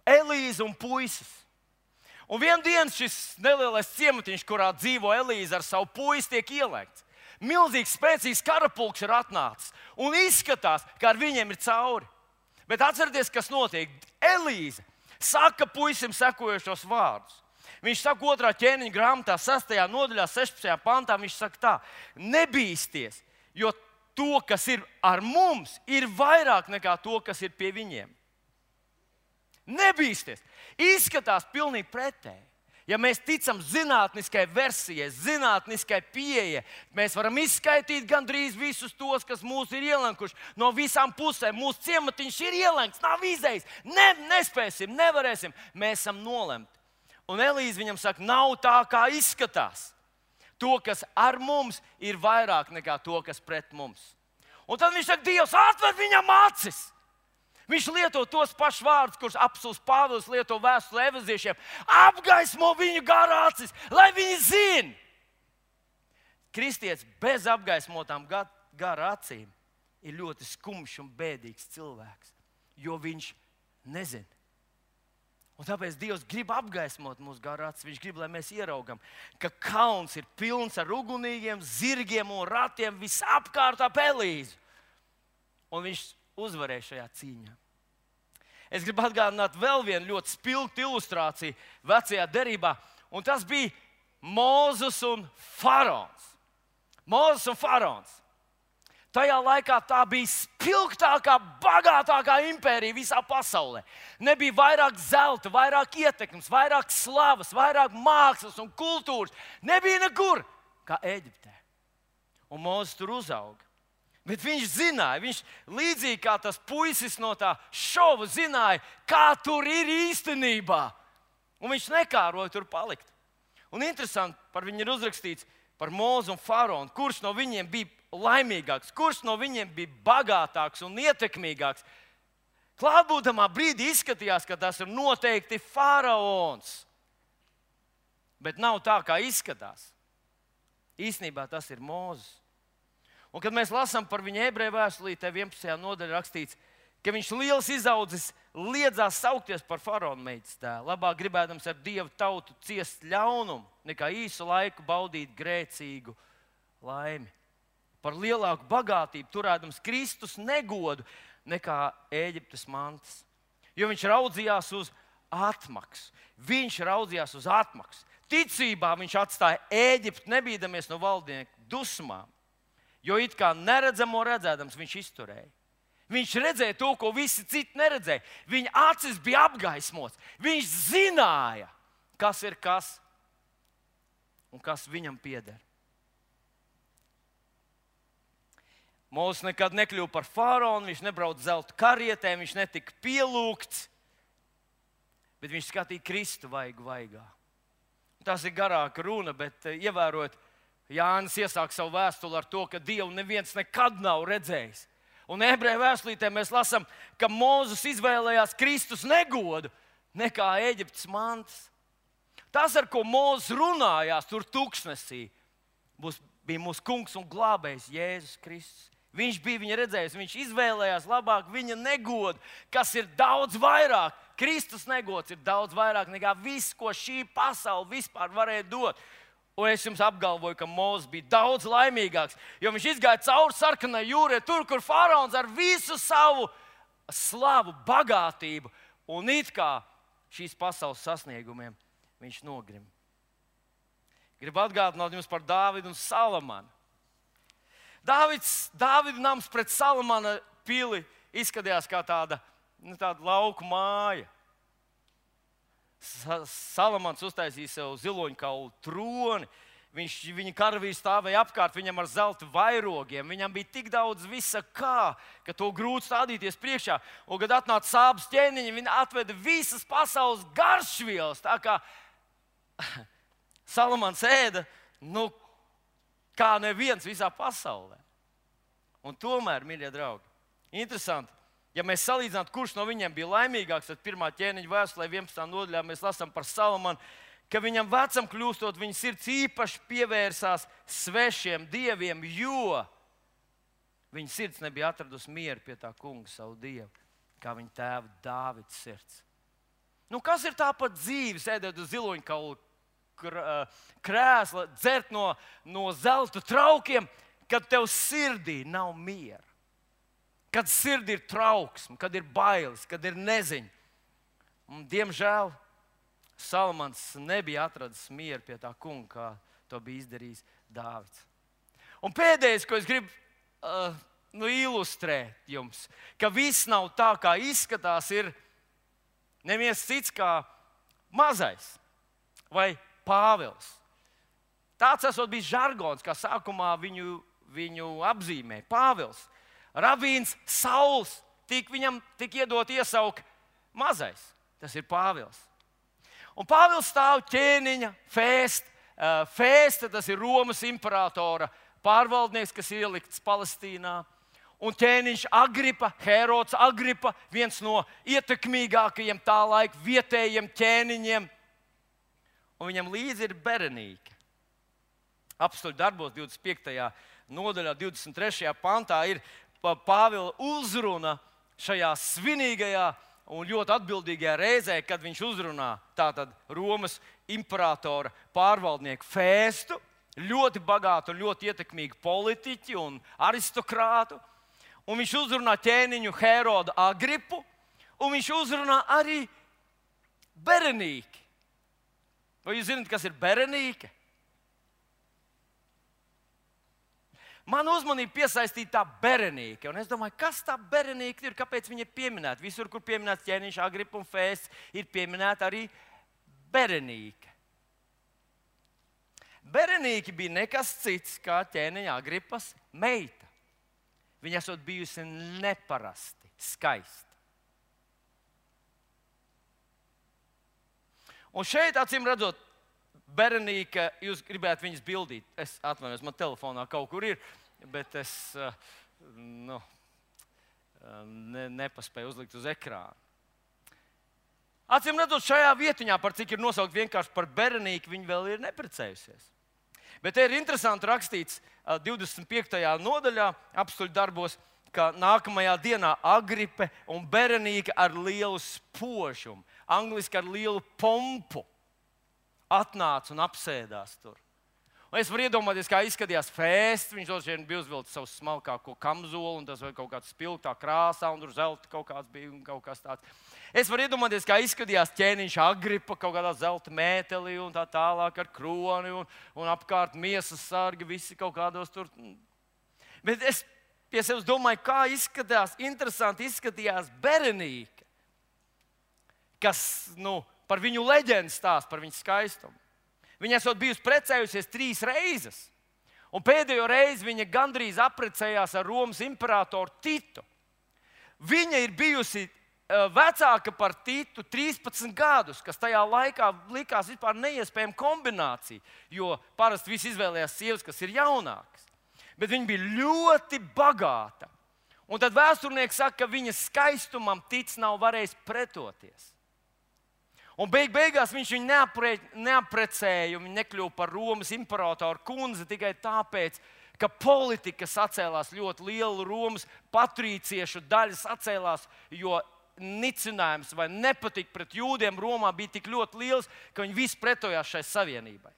Elīze un puisis. Un vienā dienā šis nelielais ciematiņš, kurā dzīvo Elīze ar savu puisi, tiek ielēgts. Milzīgs, spēcīgs karapulks ir atnācis un izskatās, ka ar viņiem ir cauri. Bet atcerieties, kas notiek. Elīze saka puisim sekojošos vārdus. Viņš saka 2. ķēniņa grāmatā, 6. nodaļā, 16. pantā, viņš saka tā: nebīsties, jo to, kas ir ar mums, ir vairāk nekā to, kas ir pie viņiem. Nebīsties. Izskatās pilnīgi pretēji. Ja mēs ticam zinātniskai versijai, zinātniskai pieejai, mēs varam izskaidrot gandrīz visus tos, kas mūs ir ielenkuši no visām pusēm. Mūsu ciematiņš ir ielenks, nav izējis. Nespēsim, nevarēsim. Mēs esam nolemti. Un Elīze viņam saka, nav tā, kā izskatās. To, kas ar mums, ir vairāk nekā to, kas pret mums. Un tad viņš saka, Dievs, atver viņam acis. Viņš lieto tos pašus vārdus, kurus apstults Pāvils lieto vēstulē efeziešiem. Apgaismo viņu garā acis, lai viņi zina. Kristietis bez apgaismotām garā acīm ir ļoti skumjš un bēdīgs cilvēks, jo viņš nezina. Un tāpēc Dievs grib apgaismot mūsu garā acis. Viņš grib, lai mēs ieraugam, ka kalns ir pilns ar ugunīgiem, zirgiem un ratiem visapkārt ap Elīzu. Un viņš uzvarēja šajā cīņā. Es gribu atgādināt vēl vienu ļoti spilgtu ilustrāciju vecajā derībā, un tas bija Mūzes un Faraons. Mūzes un faraons. Tajā laikā tā bija spilgtākā, bagātākā impērija visā pasaulē. Nebija vairāk zelta, vairāk ietekmes, vairāk slavas, vairāk mākslas un kultūras. Nebija nekur kā Ēģiptē. Un Mūzes tur uzauga. Bet viņš zināja, viņš līdzīgi kā tas puisis no tā šova zināja, kā tur ir īstenībā. Un viņš nekāroja tur palikt. Un interesanti, par viņu ir uzrakstīts par Mūzu un faraonu, kurš no viņiem bija laimīgāks, kurš no viņiem bija bagātāks un ietekmīgāks. Klātbūtamā brīdī izskatījās, ka tas ir noteikti faraons. Bet nav tā, kā izskatās. Īsnībā tas ir Mūzes. Un, kad mēs lasām par viņu ebreju vēstulītē 11. nodaļā rakstīts, ka viņš liels izaudzis liedzās saukties par faraona meitas tēlu, labāk gribēdams ar Dievu tautu ciest ļaunumu, nekā īsu laiku baudīt grēcīgu laimi. Par lielāku bagātību turēdams Kristus negodu nekā Ēģiptes mantas. Jo viņš raudzījās uz atmaksu. Ticībā viņš atstāja Ēģipti, nebīdamies no valdnieku dusmām. Jo it kā neredzamo redzēdams viņš izturēja. Viņš redzēja to, ko visi citi neredzēja. Viņa acis bija apgaismots. Viņš zināja, kas ir kas un kas viņam pieder. Mūzes nekad nekļuva par faraonu, viņš nebrauca zelta karietēm, viņš netika pielūgts, bet viņš skatīja Kristu vaigu vaigā. Tas ir garāka runa, bet ievērot, Jānis iesāk savu vēstuli ar to, ka Dievu neviens nekad nav redzējis. Un ebreju vēstulītē mēs lasām, ka Mūzes izvēlējās Kristus negodu nekā Ēģiptes mantas. Tas, ar ko Mūzes runājās tur tuksnesī, bija mūsu kungs un glābējs Jēzus Kristus. Viņš bija viņa redzējis, viņš izvēlējās labāk viņa negodu, kas ir daudz vairāk. Kristus negods ir daudz vairāk nekā viss, ko šī pasaule vispār varēja dot. Un es jums apgalvoju, ka Mūzes bija daudz laimīgāks, jo viņš izgāja cauri sarkanai jūrai, tur, kur faraons ar visu savu slavu, bagātību un it kā šīs pasaules sasniegumiem viņš nogrim. Gribu atgādināt jums par Dāvidu un Salamanu. Dāvida nams pret Salamana pili izskatījās kā tāda lauku māja. Salamans uztaisīja sev ziloņkaulu troni. Viņa karavīri stāvēja apkārt viņam ar zelta vairogiem. Viņam bija tik daudz visa kā, ka to grūti stādīties priekšā. Un, kad atnāca sāpes ķēniņi, viņi atveda visas pasaules garšvielas. Tā kā Salamans ēda, kā neviens visā pasaulē. Un tomēr, mīļie draugi, interesanti, ja mēs salīdzinātu, kurš no viņiem bija laimīgāks, tad 1. ķēniņa vēstulē 11. nodaļā mēs lasām par Salamanu, ka viņam vecam kļūstot, viņa sirds īpaši pievērsās svešiem dieviem, jo viņa sirds nebija atradusi mieru pie tā kunga savu dievu, kā viņa tēva Dāvida sirds. Kas ir tā par dzīvi, sēdēt uz ziloņkaulu krēsla, dzert no zelta traukiem, kad tev sirdī nav miera. Kad sirdī ir trauksme, kad ir bailes, kad ir neziņa. Un, diemžēl Salamans nebija atradis mieru pie tā kunga, kā to bija izdarījis Dāvids. Un pēdējais, ko es gribu ilustrēt jums, ka viss nav tā, kā izskatās, ir neviens cits kā mazais vai Pāvils. Tāds esot bijis žargons, kā sākumā viņu apzīmē. Pāvils, rabīns Sauls, viņam tika iedot iesaukt mazais. Tas ir Pāvils. Un Pāvils stāv ķēniņa Fēsta, tas ir Romas imperatora pārvaldnieks, kas ielikts Palestīnā. Un ķēniņš Agripa, Herods Agripa, viens no ietekmīgākajiem tā laika vietējiem ķēniņiem. Un viņam līdzi ir Berenīke. Apstuļu darbos 25. nodaļā, 23. pantā ir Pāvila uzruna šajā svinīgajā un ļoti atbildīgajā reizē, kad viņš uzrunā tātad Romas imperatora pārvaldnieku Fēstu, ļoti bagātu un ļoti ietekmīgu politiķi un aristokrātu. Un viņš uzrunā ķēniņu Herodu Agripu, un viņš uzrunā arī Berenīki. Vai jūs zināt, kas ir Berenīke? man uzmanību piesaistīja tā Berenīka. Un es domāju, kas tā Berenīka ir, kāpēc viņa ir pieminēta? Visur, kur pieminēts ķēniņš Agripa un Fēsts, ir pieminēta arī Berenīka. Berenīka bija nekas cits kā ķēniņa Agripas meita. Viņa esot bijusi neparasti skaista. Un šeit, acīm redzot, Berenīka, jūs gribētu viņas bildīt. Es atvainojos, man telefonā kaut kur ir, bet es nepaspēju uzlikt uz ekrāna. Acīm redzot, šajā vietiņā, par cik ir nosaukt vienkārši par Berenīku, viņa vēl ir neprecējusies. Bet te ir interesanti rakstīts 25. nodaļā apstuļu darbos, ka nākamajā dienā Agripe un Berenīka ar lielu spožumu, angliski ar lielu pompu, atnāca un apsēdās tur. Un es varu iedomāties, kā izskatījās Fēsts. Viņš droši bija uzvilcis savu smalkāko kamzolu, un tas bija kaut kāds spilgtā krāsā, un tur zelta kaut kāds bija un kaut kas tāds. Es varu iedomāties, kā izskatījās ķēniņš Agripa, kaut kādā zelta mētelī un tā tālāk ar kroni un apkārt miesas sargi, visi kaut kādos tur. Bet es pie sevis domāju, kā interesanti izskatījās Berenīka, kas, par viņu leģendu stāsta, par viņu skaistumu. Viņa esot bijusi precējusies 3 reizes, un pēdējo reizi viņa gandrīz apprecējās ar Romas imperatoru Titu. Viņa ir bijusi vecāka par Titu 13 gadus, kas tajā laikā likās vispār neiespējama kombinācija, jo parasti visi izvēlējās sievas, kas ir jaunākas. Bet viņa bija ļoti bagāta. Un tad vēsturnieks saka, ka viņas skaistumam Tits nav varējis pretoties. Un beigās viņš viņu neaprecēja, un viņa nekļuva par Romas imperatoru kundzi tikai tāpēc, ka politika sacēlās ļoti liela, Romas patrīciešu daļa sacēlās, jo nicinājums vai nepatika pret jūdiem Romā bija tik ļoti liels, ka viņi visi pretojās šai savienībai.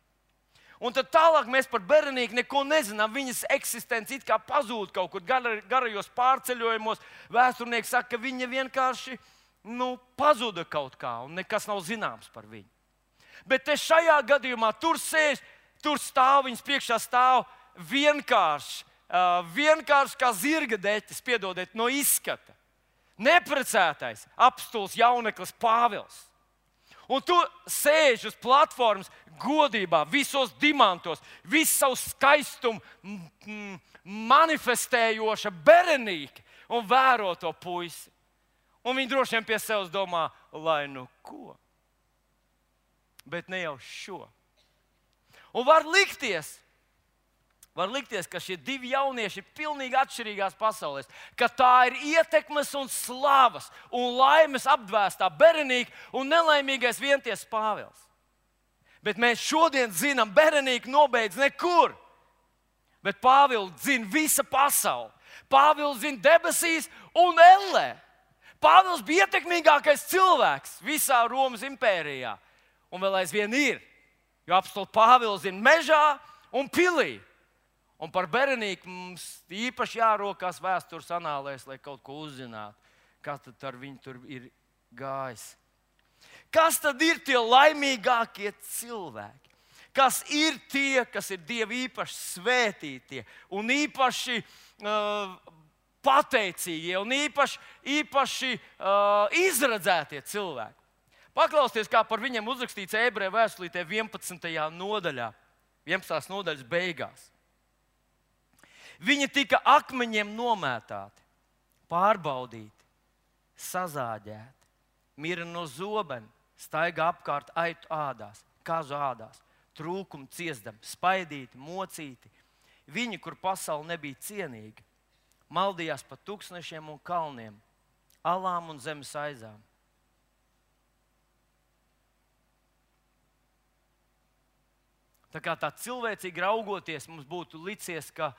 Un tad tālāk mēs par Berenīku neko nezinām. Viņas eksistence it kā pazūd kaut kur garajos pārceļojumos. Vēsturnieks saka, ka viņa vienkārši pazuda kaut kā, un nekas nav zināms par viņu. Bet te šajā gadījumā tur sēž, tur stāv, viņas priekšā stāv vienkārši kā zirga deķis, piedodiet, no izskata. Neprecētais apstuls jauneklis Pāvils. Un tu sēž uz platformas godībā, visos dimantos, visu savu skaistumu manifestējoša Berenīka un vēro to puisi. Un viņi droši vien pie sevis domā, lai ko. Bet ne jau šo. Un var likties, ka šie 2 jaunieši ir pilnīgi atšķirīgās pasaulēs. Ka tā ir ietekmes un slavas un laimes apdvēstā Berenīka un nelaimīgais vienties Pāvils. Bet mēs šodien zinām, Berenīka nobeidz nekur. Bet Pāvilu zina visa pasaule. Pāvilu zina debesīs un ellē. Pāvils bija ietekmīgākais cilvēks visā Romas impērijā. Un vēl aizvien ir. Jo apstuli Pāvils zina mežā un pilī. Un par Berenīku mums īpaši jārokās vēstures anālēs, lai kaut ko uzzinātu. Kas tad ar viņu tur ir gājis? Kas tad ir tie laimīgākie cilvēki? Kas ir tie, kas ir Dieva īpaši svētītie un īpaši pateicīgie un īpaši izredzētie cilvēki? Paklausieties, kā par viņiem uzrakstīts Ebreju vēstulītē 11. nodaļā, 11. nodaļas beigās. Viņi tika akmeņiem nomētāti, pārbaudīti, sazāģēti, mira no zobena, staigā apkārt aitu ādās, kazu ādās, trūkumu ciesdam, spaidīti, mocīti. Viņi, kur pasaule nebija cienīga, maldījās pa tūkstnešiem un kalniem, alām un zemes aizām. Tā kā tā cilvēcīgi raugoties, mums būtu licies, ka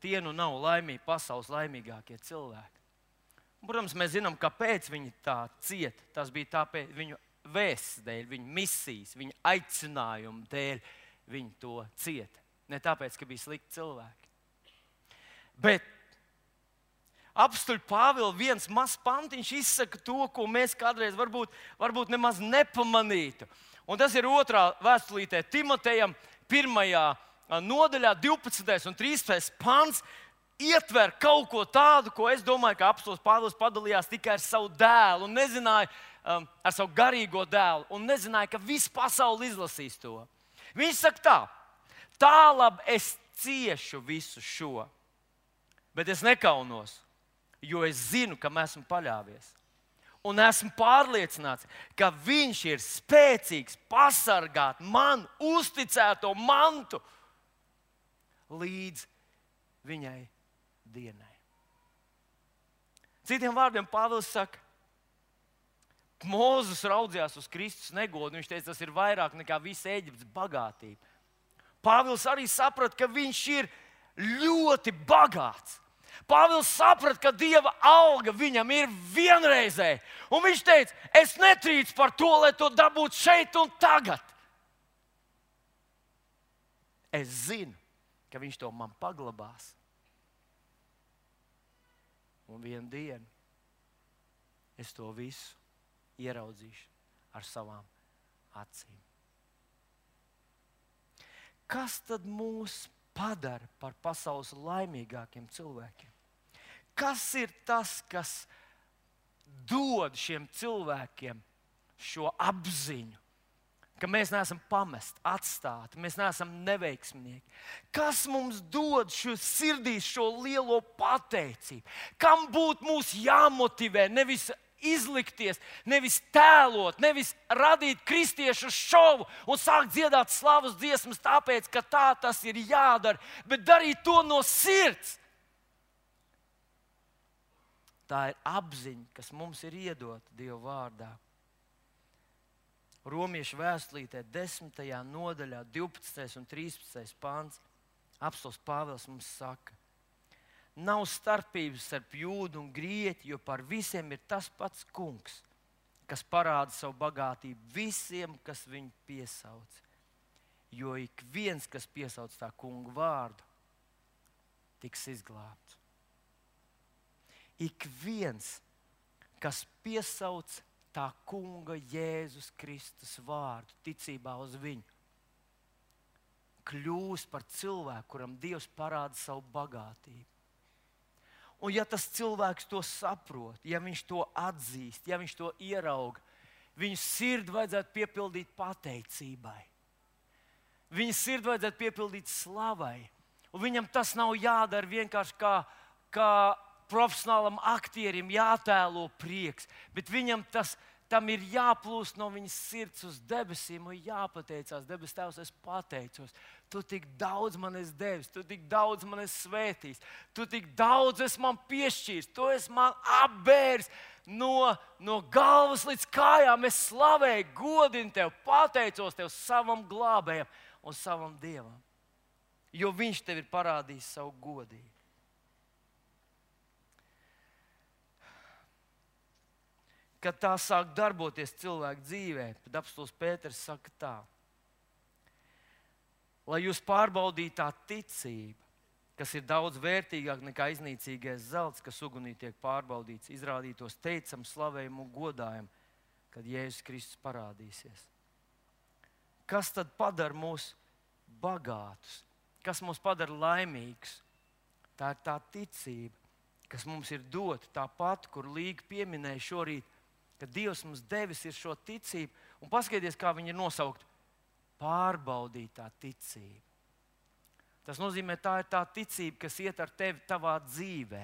tie nav laimīgi, pasaules laimīgākie cilvēki. Protams, mēs zinām, kāpēc viņi tā cieta. Tas bija tāpēc viņu vēsts dēļ, viņu misijas, viņu aicinājumu dēļ viņi to cieta. Ne tāpēc, ka bija slikti cilvēki. Bet apstuļu Pāvila viens mazs pantiņš izsaka to, ko mēs kādreiz varbūt nemaz nepamanītu. Un tas ir 2. vēstulītē Timotejam, 1. nodaļā 12. un 13. pants ietver kaut ko tādu, ko es domāju, ka apostils Pāvils padalījās tikai ar savu dēlu un nezināja, ar savu garīgo dēlu, un nezināja, ka visa pasaule izlasīs to. Viņš saka tā labi es ciešu visu šo, bet es nekaunos, jo es zinu, kam esmu paļāvies. Un esmu pārliecināts, ka viņš ir spēcīgs pasargāt man uzticēto mantu līdz viņai dienai. Citiem vārdiem Pāvils saka, Mūzes raudzījās uz Kristus negodu. Viņš teica, tas ir vairāk nekā visa Ēģiptes bagātība. Pāvils arī saprata, ka viņš ir ļoti bagāts. Pāvils saprata, ka Dieva alga viņam ir vienreizēja. Un viņš teica, es netrīcu par to, lai to dabūtu šeit un tagad. Es zinu, ka viņš to man paglabās. Un vienu dienu es to visu ieraudzīšu ar savām acīm. Kas tad mūs padara par pasaules laimīgākiem cilvēkiem? Kas ir tas, kas dod šiem cilvēkiem šo apziņu, ka mēs neesam pamesti, atstāti, mēs neesam neveiksminieki? Kas mums dod šo sirdīs šo lielo pateicību? Kam būtu mūs jāmotivē, nevis izlikties, nevis tēlot, nevis radīt kristiešu šovu un sākt dziedāt slavas dziesmas tāpēc, ka tā tas ir jādara, bet darīt to no sirds. Tā ir apziņa, kas mums ir iedota Dieva vārdā. Romiešu vēstulītē 10. nodaļā 12. un 13. pants apostols Pāvils mums saka, nav starpības starp jūdu un grieķu, jo par visiem ir tas pats kungs, kas parāda savu bagātību visiem, kas viņu piesauc. Jo ik viens, kas piesauc tā kunga vārdu, tiks izglābts. Ik viens, kas piesauc tā kunga Jēzus Kristus vārdu, ticībā uz viņu, kļūst par cilvēku, kuram Dievs parāda savu bagātību. Un ja tas cilvēks to saprot, ja viņš to atzīst, ja viņš to ierauga, viņa sirdi vajadzētu piepildīt pateicībai. Viņa sirdi vajadzētu piepildīt slavai. Un viņam tas nav jādara vienkārši kā profesionālam aktierim jātēlo prieks, bet viņam tam ir jāplūst no viņas sirds uz debesīm un jāpateicās. Debes Tēvs, es pateicos. Tu tik daudz man esi devis, tu tik daudz man esi svētījis, tu tik daudz esi man piešķīris, tu esi man apbēris no galvas līdz kājām. Es slavēju, godinu tev, pateicos tev savam glābējam un savam Dievam, jo viņš tev ir parādījis savu godību. Kad tā sāk darboties cilvēku dzīvē, tad apostols Pēters saka tā, lai jūs pārbaudītu tā ticība, kas ir daudz vērtīgāka nekā iznīcīgais zelts, kas ugunī tiek pārbaudīts, izrādītos teicam, slavējumu un godājumu, kad Jēzus Kristus parādīsies. Kas tad padara mūs bagātus? Kas mūs padara laimīgus? Tā ir tā ticība, kas mums ir dota, tā pati, kur Līga pieminēja šorīt, ka Dievs mums devis ir šo ticību, un paskaties, kā viņi ir nosaukt, pārbaudītā ticība. Tas nozīmē, tā ir tā ticība, kas iet ar tevi tavā dzīvē,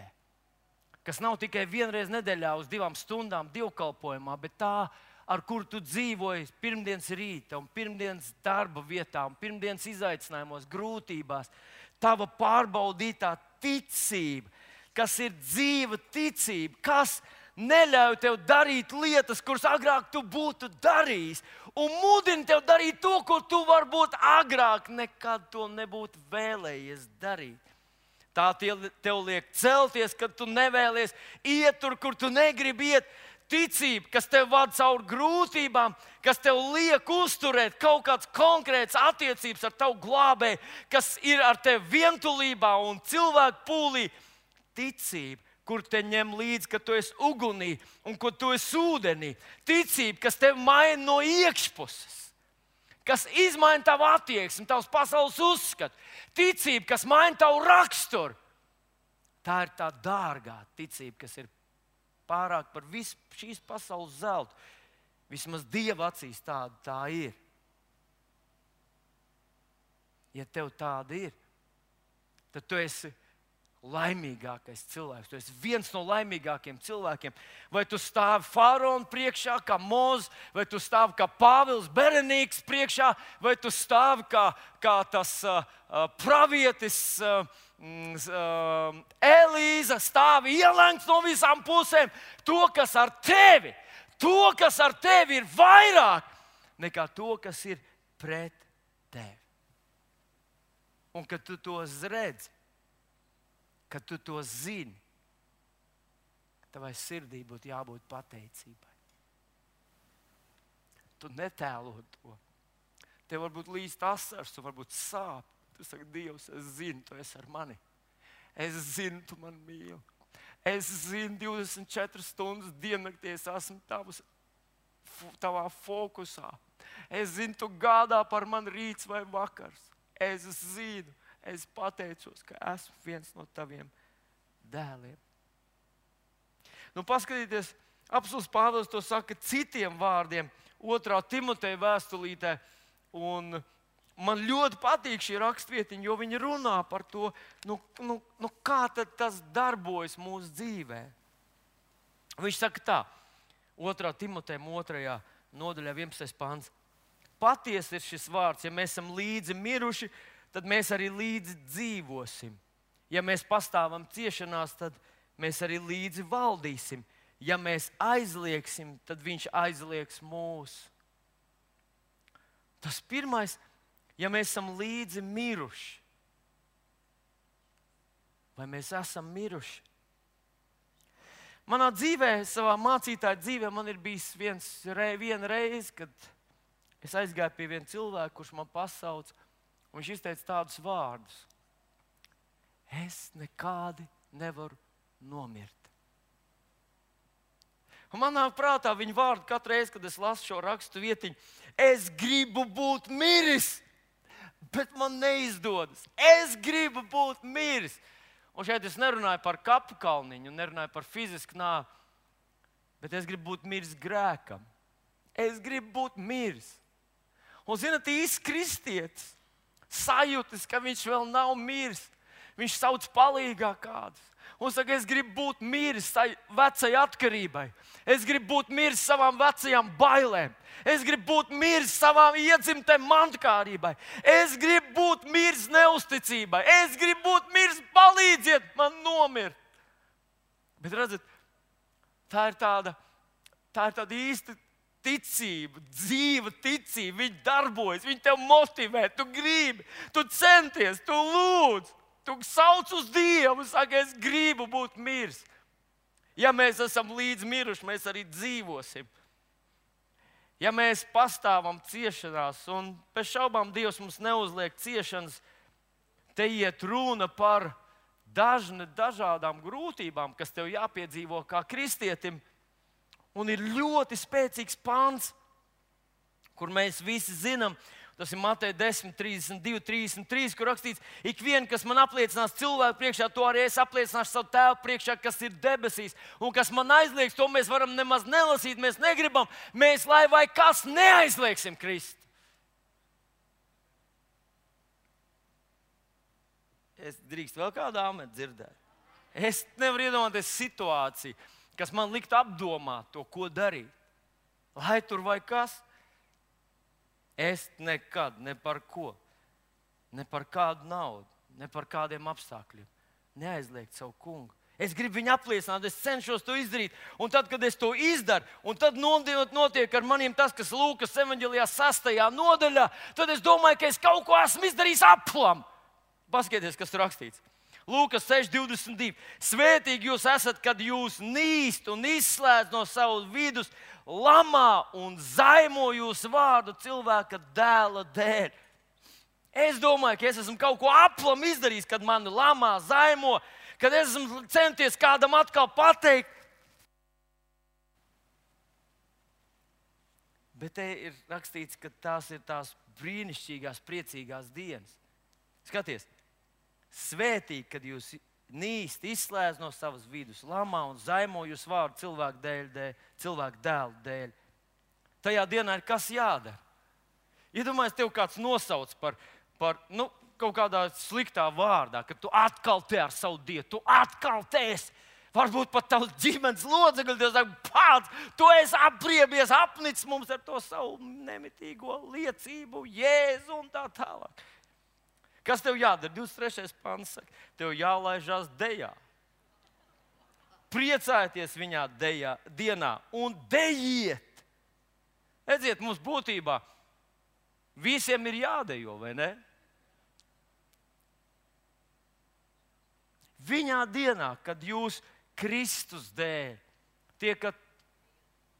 kas nav tikai vienreiz nedēļā uz 2 stundām dievkalpojumā, bet tā, ar kuru tu dzīvoji pirmdienas rīta un pirmdienas darba vietā un pirmdienas izaicinājumos, grūtībās. Tava pārbaudītā ticība, kas ir dzīva ticība, kas neļauj tev darīt lietas, kuras agrāk tu būtu darījis, un mudina tev darīt to, ko tu varbūt agrāk nekad to nebūtu vēlējies darīt. Tā tev liek celties, kad tu nevēlies iet tur, kur tu negribi iet. Ticība, kas tev vada cauri grūtībām, kas tev liek uzturēt kaut kādas konkrētas attiecības ar tavu glābēju, kas ir ar tevi vientulībā un cilvēku pūlī. Ticība, kur te ņem līdzi, ka tu esi ugunī un ka tu esi ūdenī. Ticība, kas tevi maina no iekšpuses. kas izmaina tavu attieksmi, tavs pasaules uzskatu, ticība, kas maina tavu raksturu. Tā ir tā dārgā ticība, kas ir pārāk par visu šīs pasaules zeltu. Vismaz Dieva acīs tāda tā ir. Ja tev tāda ir, tad tu esi laimīgākais cilvēks. Tu esi viens no laimīgākiem cilvēkiem. Vai tu stāvi faraona priekšā, kā Mozus, vai tu stāvi kā Pāvils Berenīks priekšā, vai tu stāvi kā tas pravietis Elīza, stāvi ielēgts no visām pusēm. To, kas ar tevi ir vairāk nekā to, kas ir pret tevi. Un kad tu to redzi, kad tu to zini, tavai sirdī būtu jābūt pateicībai. Tu netēlo to. Tev varbūt līst asars, tu varbūt sāp. Tu saki, Dievs, es zinu, tu esi ar mani. Es zinu, tu mani mīli. Es zinu, 24 stundas diennaktī es esmu tavā fokusā. Es zinu, tu gādā par mani rīts vai vakars. Es zinu, es pateicos, ka esmu viens no taviem dēliem. Nu, paskatieties, apostuls Pāvils to saka citiem vārdiem, 2. Timoteja vēstulītē. Un man ļoti patīk šī rakstvietiņa, jo viņi runā par to, kā tad tas darbojas mūsu dzīvē. Viņš saka tā, 2. Timoteja 2. nodaļā 11. pants. Patiesi ir šis vārds, ja mēs esam līdzi miruši, tad mēs arī līdzi dzīvosim. Ja mēs pastāvam ciešanās, tad mēs arī līdzi valdīsim. Ja mēs aizliegsim, tad viņš aizliegs mūs. Tas pirmais, ja mēs esam līdzi miruši. Vai mēs esam miruši? Manā dzīvē, savā mācītāja dzīvē, man ir bijis viena reize, kad es aizgāju pie viena cilvēka, kurš man pasauca, un viņš izteica tādus vārdus. Es nekādi nevaru nomirt. Un manā prātā viņa vārdi katru reizi, kad es lasu šo rakstu vietiņu, es gribu būt miris, bet man neizdodas. Es gribu būt miris. Un šeit es nerunāju par kapu kalniņu, nerunāju par fizisku nāvi, bet es gribu būt miris grēkam. Es gribu būt miris. Un, zināt, īsts kristietis sajūtas, ka viņš vēl nav miris. Viņš sauc palīgā kādus. Un saka, es gribu būt miris vecai atkarībai. Es gribu būt miris savām vecajām bailēm. Es gribu būt miris savām iedzimtēm mantkārībai. Es gribu būt miris neusticībai. Es gribu būt miris, palīdziet man nomirt. Bet redzat, tā ir tāda īsta ticība, dzīva ticība. Viņa darbojas, viņa tev motivē, tu gribi, tu centies, tu lūdz. Tu sauc uz Dievu un saki, es gribu būt miris. Ja mēs esam līdz miruši, mēs arī dzīvosim. Ja mēs pastāvam ciešanās, un bez šaubām Dievs mums neuzliek ciešanas, te iet runa par dažādām grūtībām, kas tev jāpiedzīvo kā kristietim. Un ir ļoti spēcīgs pants, kur mēs visi zinām. Tas ir Mateja 10, 32, 33, kur rakstīts, ik vien, kas man apliecinās cilvēku priekšā, to arī es apliecināšu savu tēvu priekšā, kas ir debesīs. Un kas man aizliegs, to mēs varam nemaz nelasīt, mēs negribam. Mēs, lai vai kas, neaizliegsim Kristu. Es drīkst vēl kādu āmeni dzirdēt. Es nevaru iedomāties situāciju, kas man liktu apdomāt to, ko darīt. Lai tur vai kas. Es nekad, ne par ko, ne par kādu naudu, ne par kādiem apstākļiem neaizliegt savu kungu. Es gribu viņu apliecināt, es cenšos to izdarīt. Un tad, kad es to izdaru, un tad notiek ar maniem tas, kas Lūkas evaņģēlijā 6. nodaļā, tad es domāju, ka es kaut ko esmu izdarījis aplam. Paskatieties, kas tur rakstīts. Lūkas 6.22. Svētīgi jūs esat, kad jūs nīst un izslēdz no savas vidus, lamā un zaimo jūsu vārdu cilvēka dēla dēļ. Es domāju, ka es esmu kaut ko aplam izdarījis, kad mani lamā, zaimo, kad es esmu centies kādam atkal pateikt. Bet te ir rakstīts, ka tās ir tās brīnišķīgās, priecīgās dienas. Skaties, svētīgi, kad jūs nīsti izslēdz no savas vidus, lamā un zaimo jūs vārdu cilvēku dēlu dēļ. Tajā dienā ir kas jādara? Iedomājies, tev kāds nosauc par kaut kādā sliktā vārdā, ka tu atkal te ar savu dievu, tu atkal te esi. Varbūt pat tavs ģimenes locekļi, Dievs saka, pats, tu esi apriebies, apnicis mums ar to savu nemitīgo liecību, Jēzu un tā tālāk. Kas tev jādara? 23. pants saka, tev jālaižās dejā. Priecājieties viņā dienā un dejiet. Redziet, mums būtībā visiem ir jādejo, vai ne? Viņā dienā, kad jūs Kristus dēļ tiekat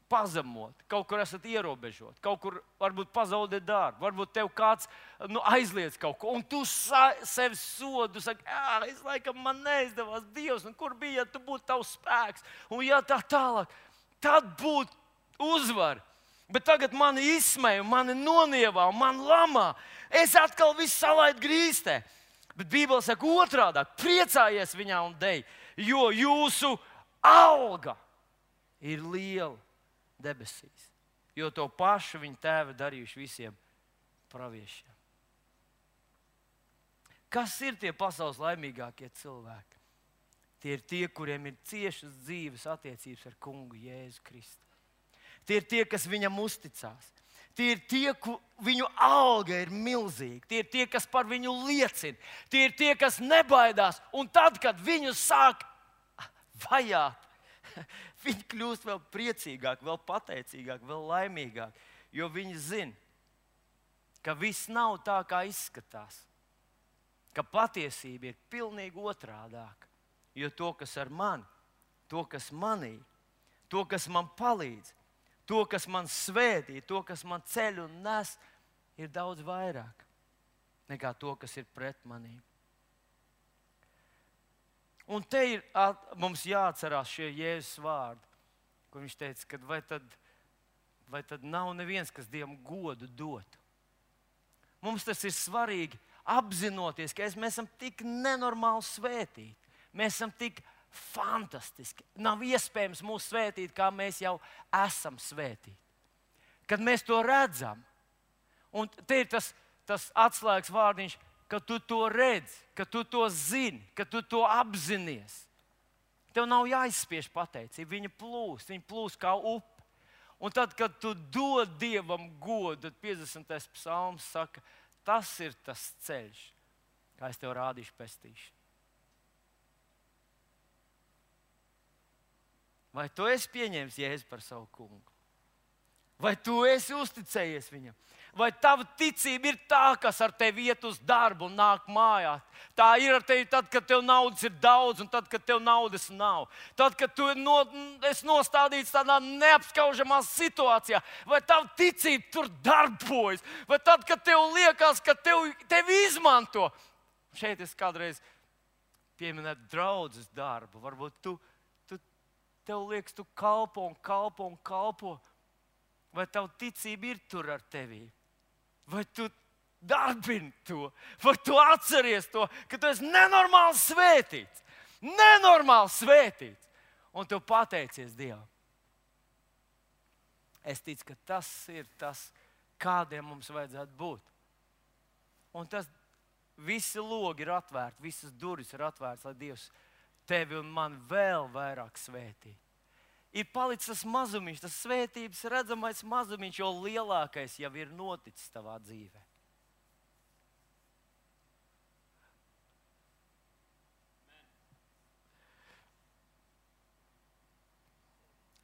pazemoti, kaut kur esat ierobežoti, kaut kur varbūt pazaudēt darbu, varbūt tev kāds aizliedz kaut ko, un tu sevi sodu, saki, es laikam man neizdevās, Dievs, un kur bija, ja tu būtu tavs spēks, un ja tā tālāk, tad būtu uzvar. Bet tagad mani izsmēja, mani nonievā, mani lamā, es atkal visu salaidu grīstē. Bet Bībele saka otrādāk, priecājies viņā un dej, jo jūsu alga ir liela debesīs. Jo to pašu viņa tēvi darījuši visiem praviešiem. Kas ir tie pasaules laimīgākie cilvēki? Tie ir tie, kuriem ir ciešas dzīves attiecības ar kungu Jēzu Kristu. Tie ir tie, kas viņam uzticās. Tie ir tie, viņu alga ir milzīga. Tie ir tie, kas par viņu liecina. Tie ir tie, kas nebaidās. Un tad, kad viņu sāk vajāt, viņi kļūst vēl priecīgāki, vēl pateicīgāki, vēl laimīgāki. Jo viņi zina, ka viss nav tā, kā izskatās. Ka patiesība ir pilnīgi otrādāka. Jo to, kas ar mani, to, kas manī, to, kas man palīdz, to, kas man svētī, to, kas man ceļ un nes, ir daudz vairāk nekā to, kas ir pret manīm. Un te ir mums jāatcerās šie Jēzus vārdi, kur viņš teica, ka vai tad nav neviens, kas Dievam godu dotu. Mums tas ir svarīgi apzinoties, ka mēs esam tik nenormāli svētīti. Mēs esam tik fantastiski. Nav iespējams mūs svētīt, kā mēs jau esam svētīti. Kad mēs to redzam, un te ir tas atslēgas vārdiņš, ka tu to redzi, ka tu to zini, ka tu to apzinies. Tev nav jāizspiež pateicība, viņa plūst kā upe. Un tad, kad tu dod Dievam godu, tad 50. psalms saka, tas ir tas ceļš, kā es tev rādīšu pestīšanu. Vai tu esi pieņēmis Jēzu par savu kungu? Vai tu esi uzticējies viņam? Vai tava ticība ir tā, kas ar tevi iet uz darbu un nāk mājā? Tā ir ar tevi tad, kad tev naudas ir daudz un tad, kad tev naudas nav. Tad, kad tu esi nostādīts tādā neapskaužamā situācijā. Vai tava ticība tur darbojas? Vai tad, kad tev liekas, ka tevi izmanto? Šeit es kādreiz pieminētu draudzes darbu. Varbūt tev liekas, tu kalpo un kalpo un kalpo. Vai tava ticība ir tur ar tevi? Vai tu darbini to? Vai tu atceries to, ka tu esi nenormāli svētīts? Nenormāli svētīts. Un tu pateicies Dievam. Es ticu, ka tas ir tas, kādiem mums vajadzētu būt. Un tas visi logi ir atvērti, visas durvis ir atvērtas, lai Dievs tevi un man vēl vairāk svētī. Ir palicis tas mazumiņš, tas svētības redzamais mazumiņš, jo lielākais jau ir noticis tavā dzīvē.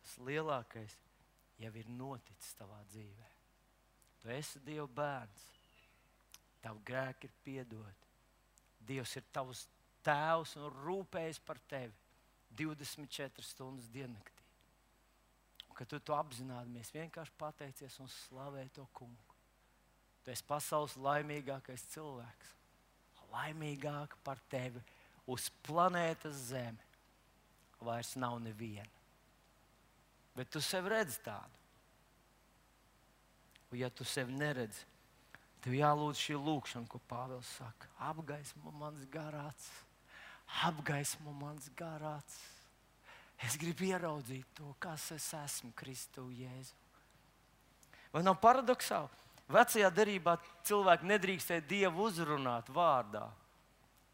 Tas lielākais jau ir noticis tavā dzīvē. Tu esi Dieva bērns. Tavu grēki ir piedoti. Dievs ir tavs Tēvs un rūpējas par tevi 24 stundas diennaktī. Un, kad tu to apzināmies, vienkārši pateicies un slavē to kungu. Tu esi pasaules laimīgākais cilvēks. Laimīgāk par tevi uz planētas Zeme vairs nav neviena. Bet tu sevi redzi tādu. Un ja tu sevi neredzi, Tev jālūdz šī lūkšana, ko Pāvils saka. Apgaismo mans garāts. Apgaismo mans garāts. Es gribu ieraudzīt to, kas es esmu Kristu Jēzu. Vai nav paradoxāli? Vecajā derībā cilvēki nedrīkstēja Dievu uzrunāt vārdā.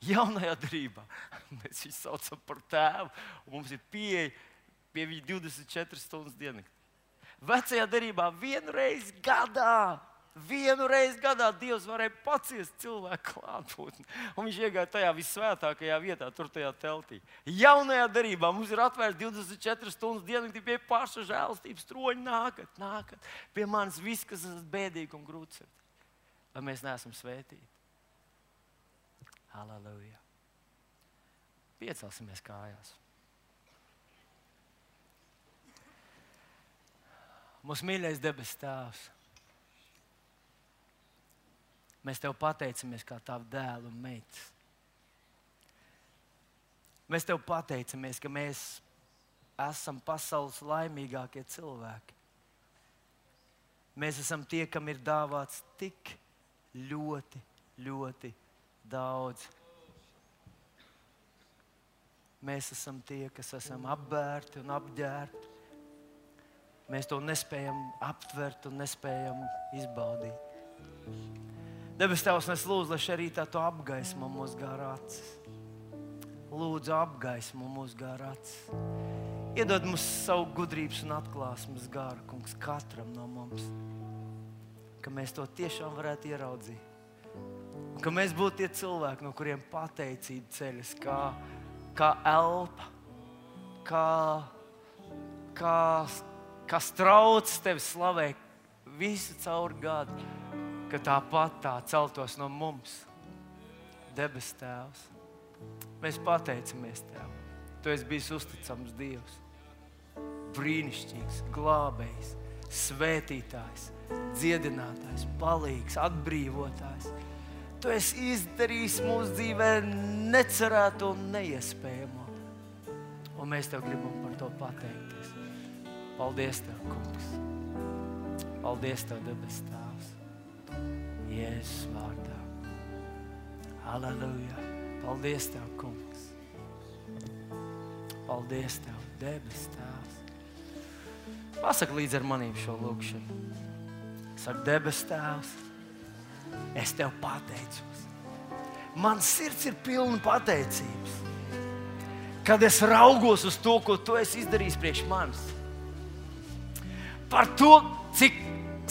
Jaunajā derībā mēs viņu saucam par tēvu, un mums ir pieeja pie viņa 24 stundas diennaktī. Vecajā derībā vienu reizi gadā Dievs varēja paciest cilvēku klātbūtni. Un viņš iegāja tajā visvētākajā vietā, tur tajā teltī. Jaunajā derībā mums ir atvērts 24 stundas diennaktī pie paša žēlastības troņa. Nākat pie manis viss, kas esat bēdīgi un grūtsirdīgi. Lai mēs neesam svētīti. Halleluja. Piecelsimies kājās. Mūsu mīļais debes Tēvs, mēs Tev pateicamies kā Tavu dēlu un meitas. Mēs Tev pateicamies, ka mēs esam pasaules laimīgākie cilvēki. Mēs esam tie, kam ir dāvāts tik ļoti, ļoti daudz. Mēs esam tie, kas esam apbērti un apģērbti. Mēs to nespējam aptvert un nespējam izbaudīt. Debes Tēvs, es lūdzu, lai šajā rītā Tu apgaismo mūsu garāts. Lūdzu, apgaismo mūsu garāts. Iedod mums savu gudrības un atklāsmes garu, Kungs, katram no mums. Ka mēs to tiešām varētu ieraudzīt. Un ka mēs būtu tie cilvēki, no kuriem pateicība ceļas, kā elpa, kā strauts Tevi slavē visu caur gadu, ka tāpat tā celtos no mums. Debes Tēvs, mēs pateicamies Tev. Tu esi bijis uzticams Dievs, brīnišķīgs, glābējs, svētītājs, dziedinātājs, palīgs, atbrīvotājs. Tu esi izdarījis mūsu dzīvē necerēto un neiespējamo. Un mēs Tev gribam par to pateikties. Paldies Tev, Kungs. Paldies Tev, debes Tēvs. Jēzus vārdā. Halleluja. Paldies Tev, Kungs. Paldies Tev, debes Tēvs. Pasaka līdz ar manīm šo lūkšanu. Saka, debes Tēvs, es Tev pateicos. Man sirds ir pilna pateicības. Kad es raugos uz to, ko Tu esi izdarījis priekš manis. Par to, cik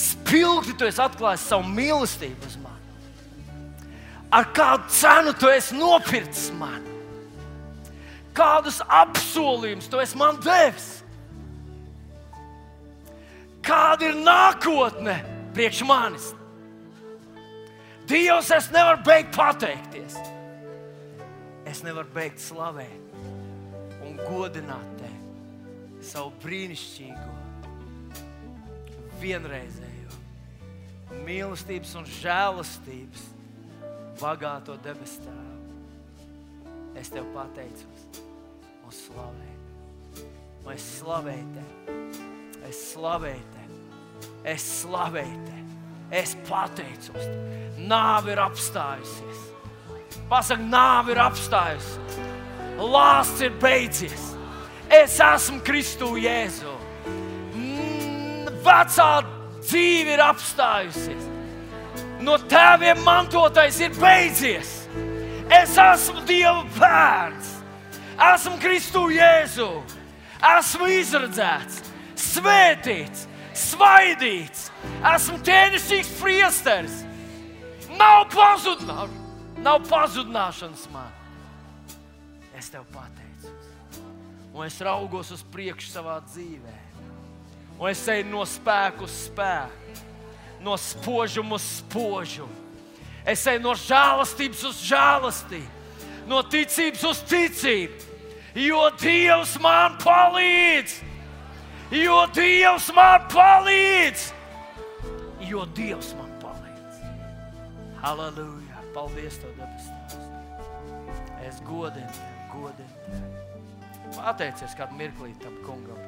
spilgti Tu esi atklājis savu mīlestību uz mani. Ar kādu cenu Tu esi nopircis mani. Kādus apsolījumus Tu esi man devis. Kāda ir nākotne priekš manis. Dievs, es nevaru beigt pateikties. Es nevaru beigt slavēt un godināt Tevi, savu brīnišķīgo, vienreizējo mīlestības un žēlastības bagāto debes Tēvu. Es Tev pateicos un slavēju. Un es slavēju Tevi. Es slavēju Tevi. Es slavēju Tevi. Es pateicos Tev. Nāve ir apstājusies. Pasaka, nāve ir apstājusies. Lāsts ir beidzies. Es esmu Kristu Jēzu. Vecā dzīve ir apstājusies. No tēviem mantotais ir beidzies. Es esmu Dieva bērns. Esmu Kristu Jēzu. Esmu izredzēts, svētīts, svaidīts. Esmu ķēnišķīgs priesteris. Nav pazudināšanas man. Es Tev pateicos. Un es raugos uz priekšu savā dzīvē. Un es eju no spēku uz spēku. No spožuma uz spožumu. Es eju no žēlastības uz žēlastību. No ticības uz ticību. Jo Dievs man palīdz. Jo Dievs man palīdz. Jo Dievs man palīdz. Halleluja. Paldies Tev, debes Tēvs. Es godinu Tevi, godinu Tevi. Pateicies kādu mirklīt tam kungam.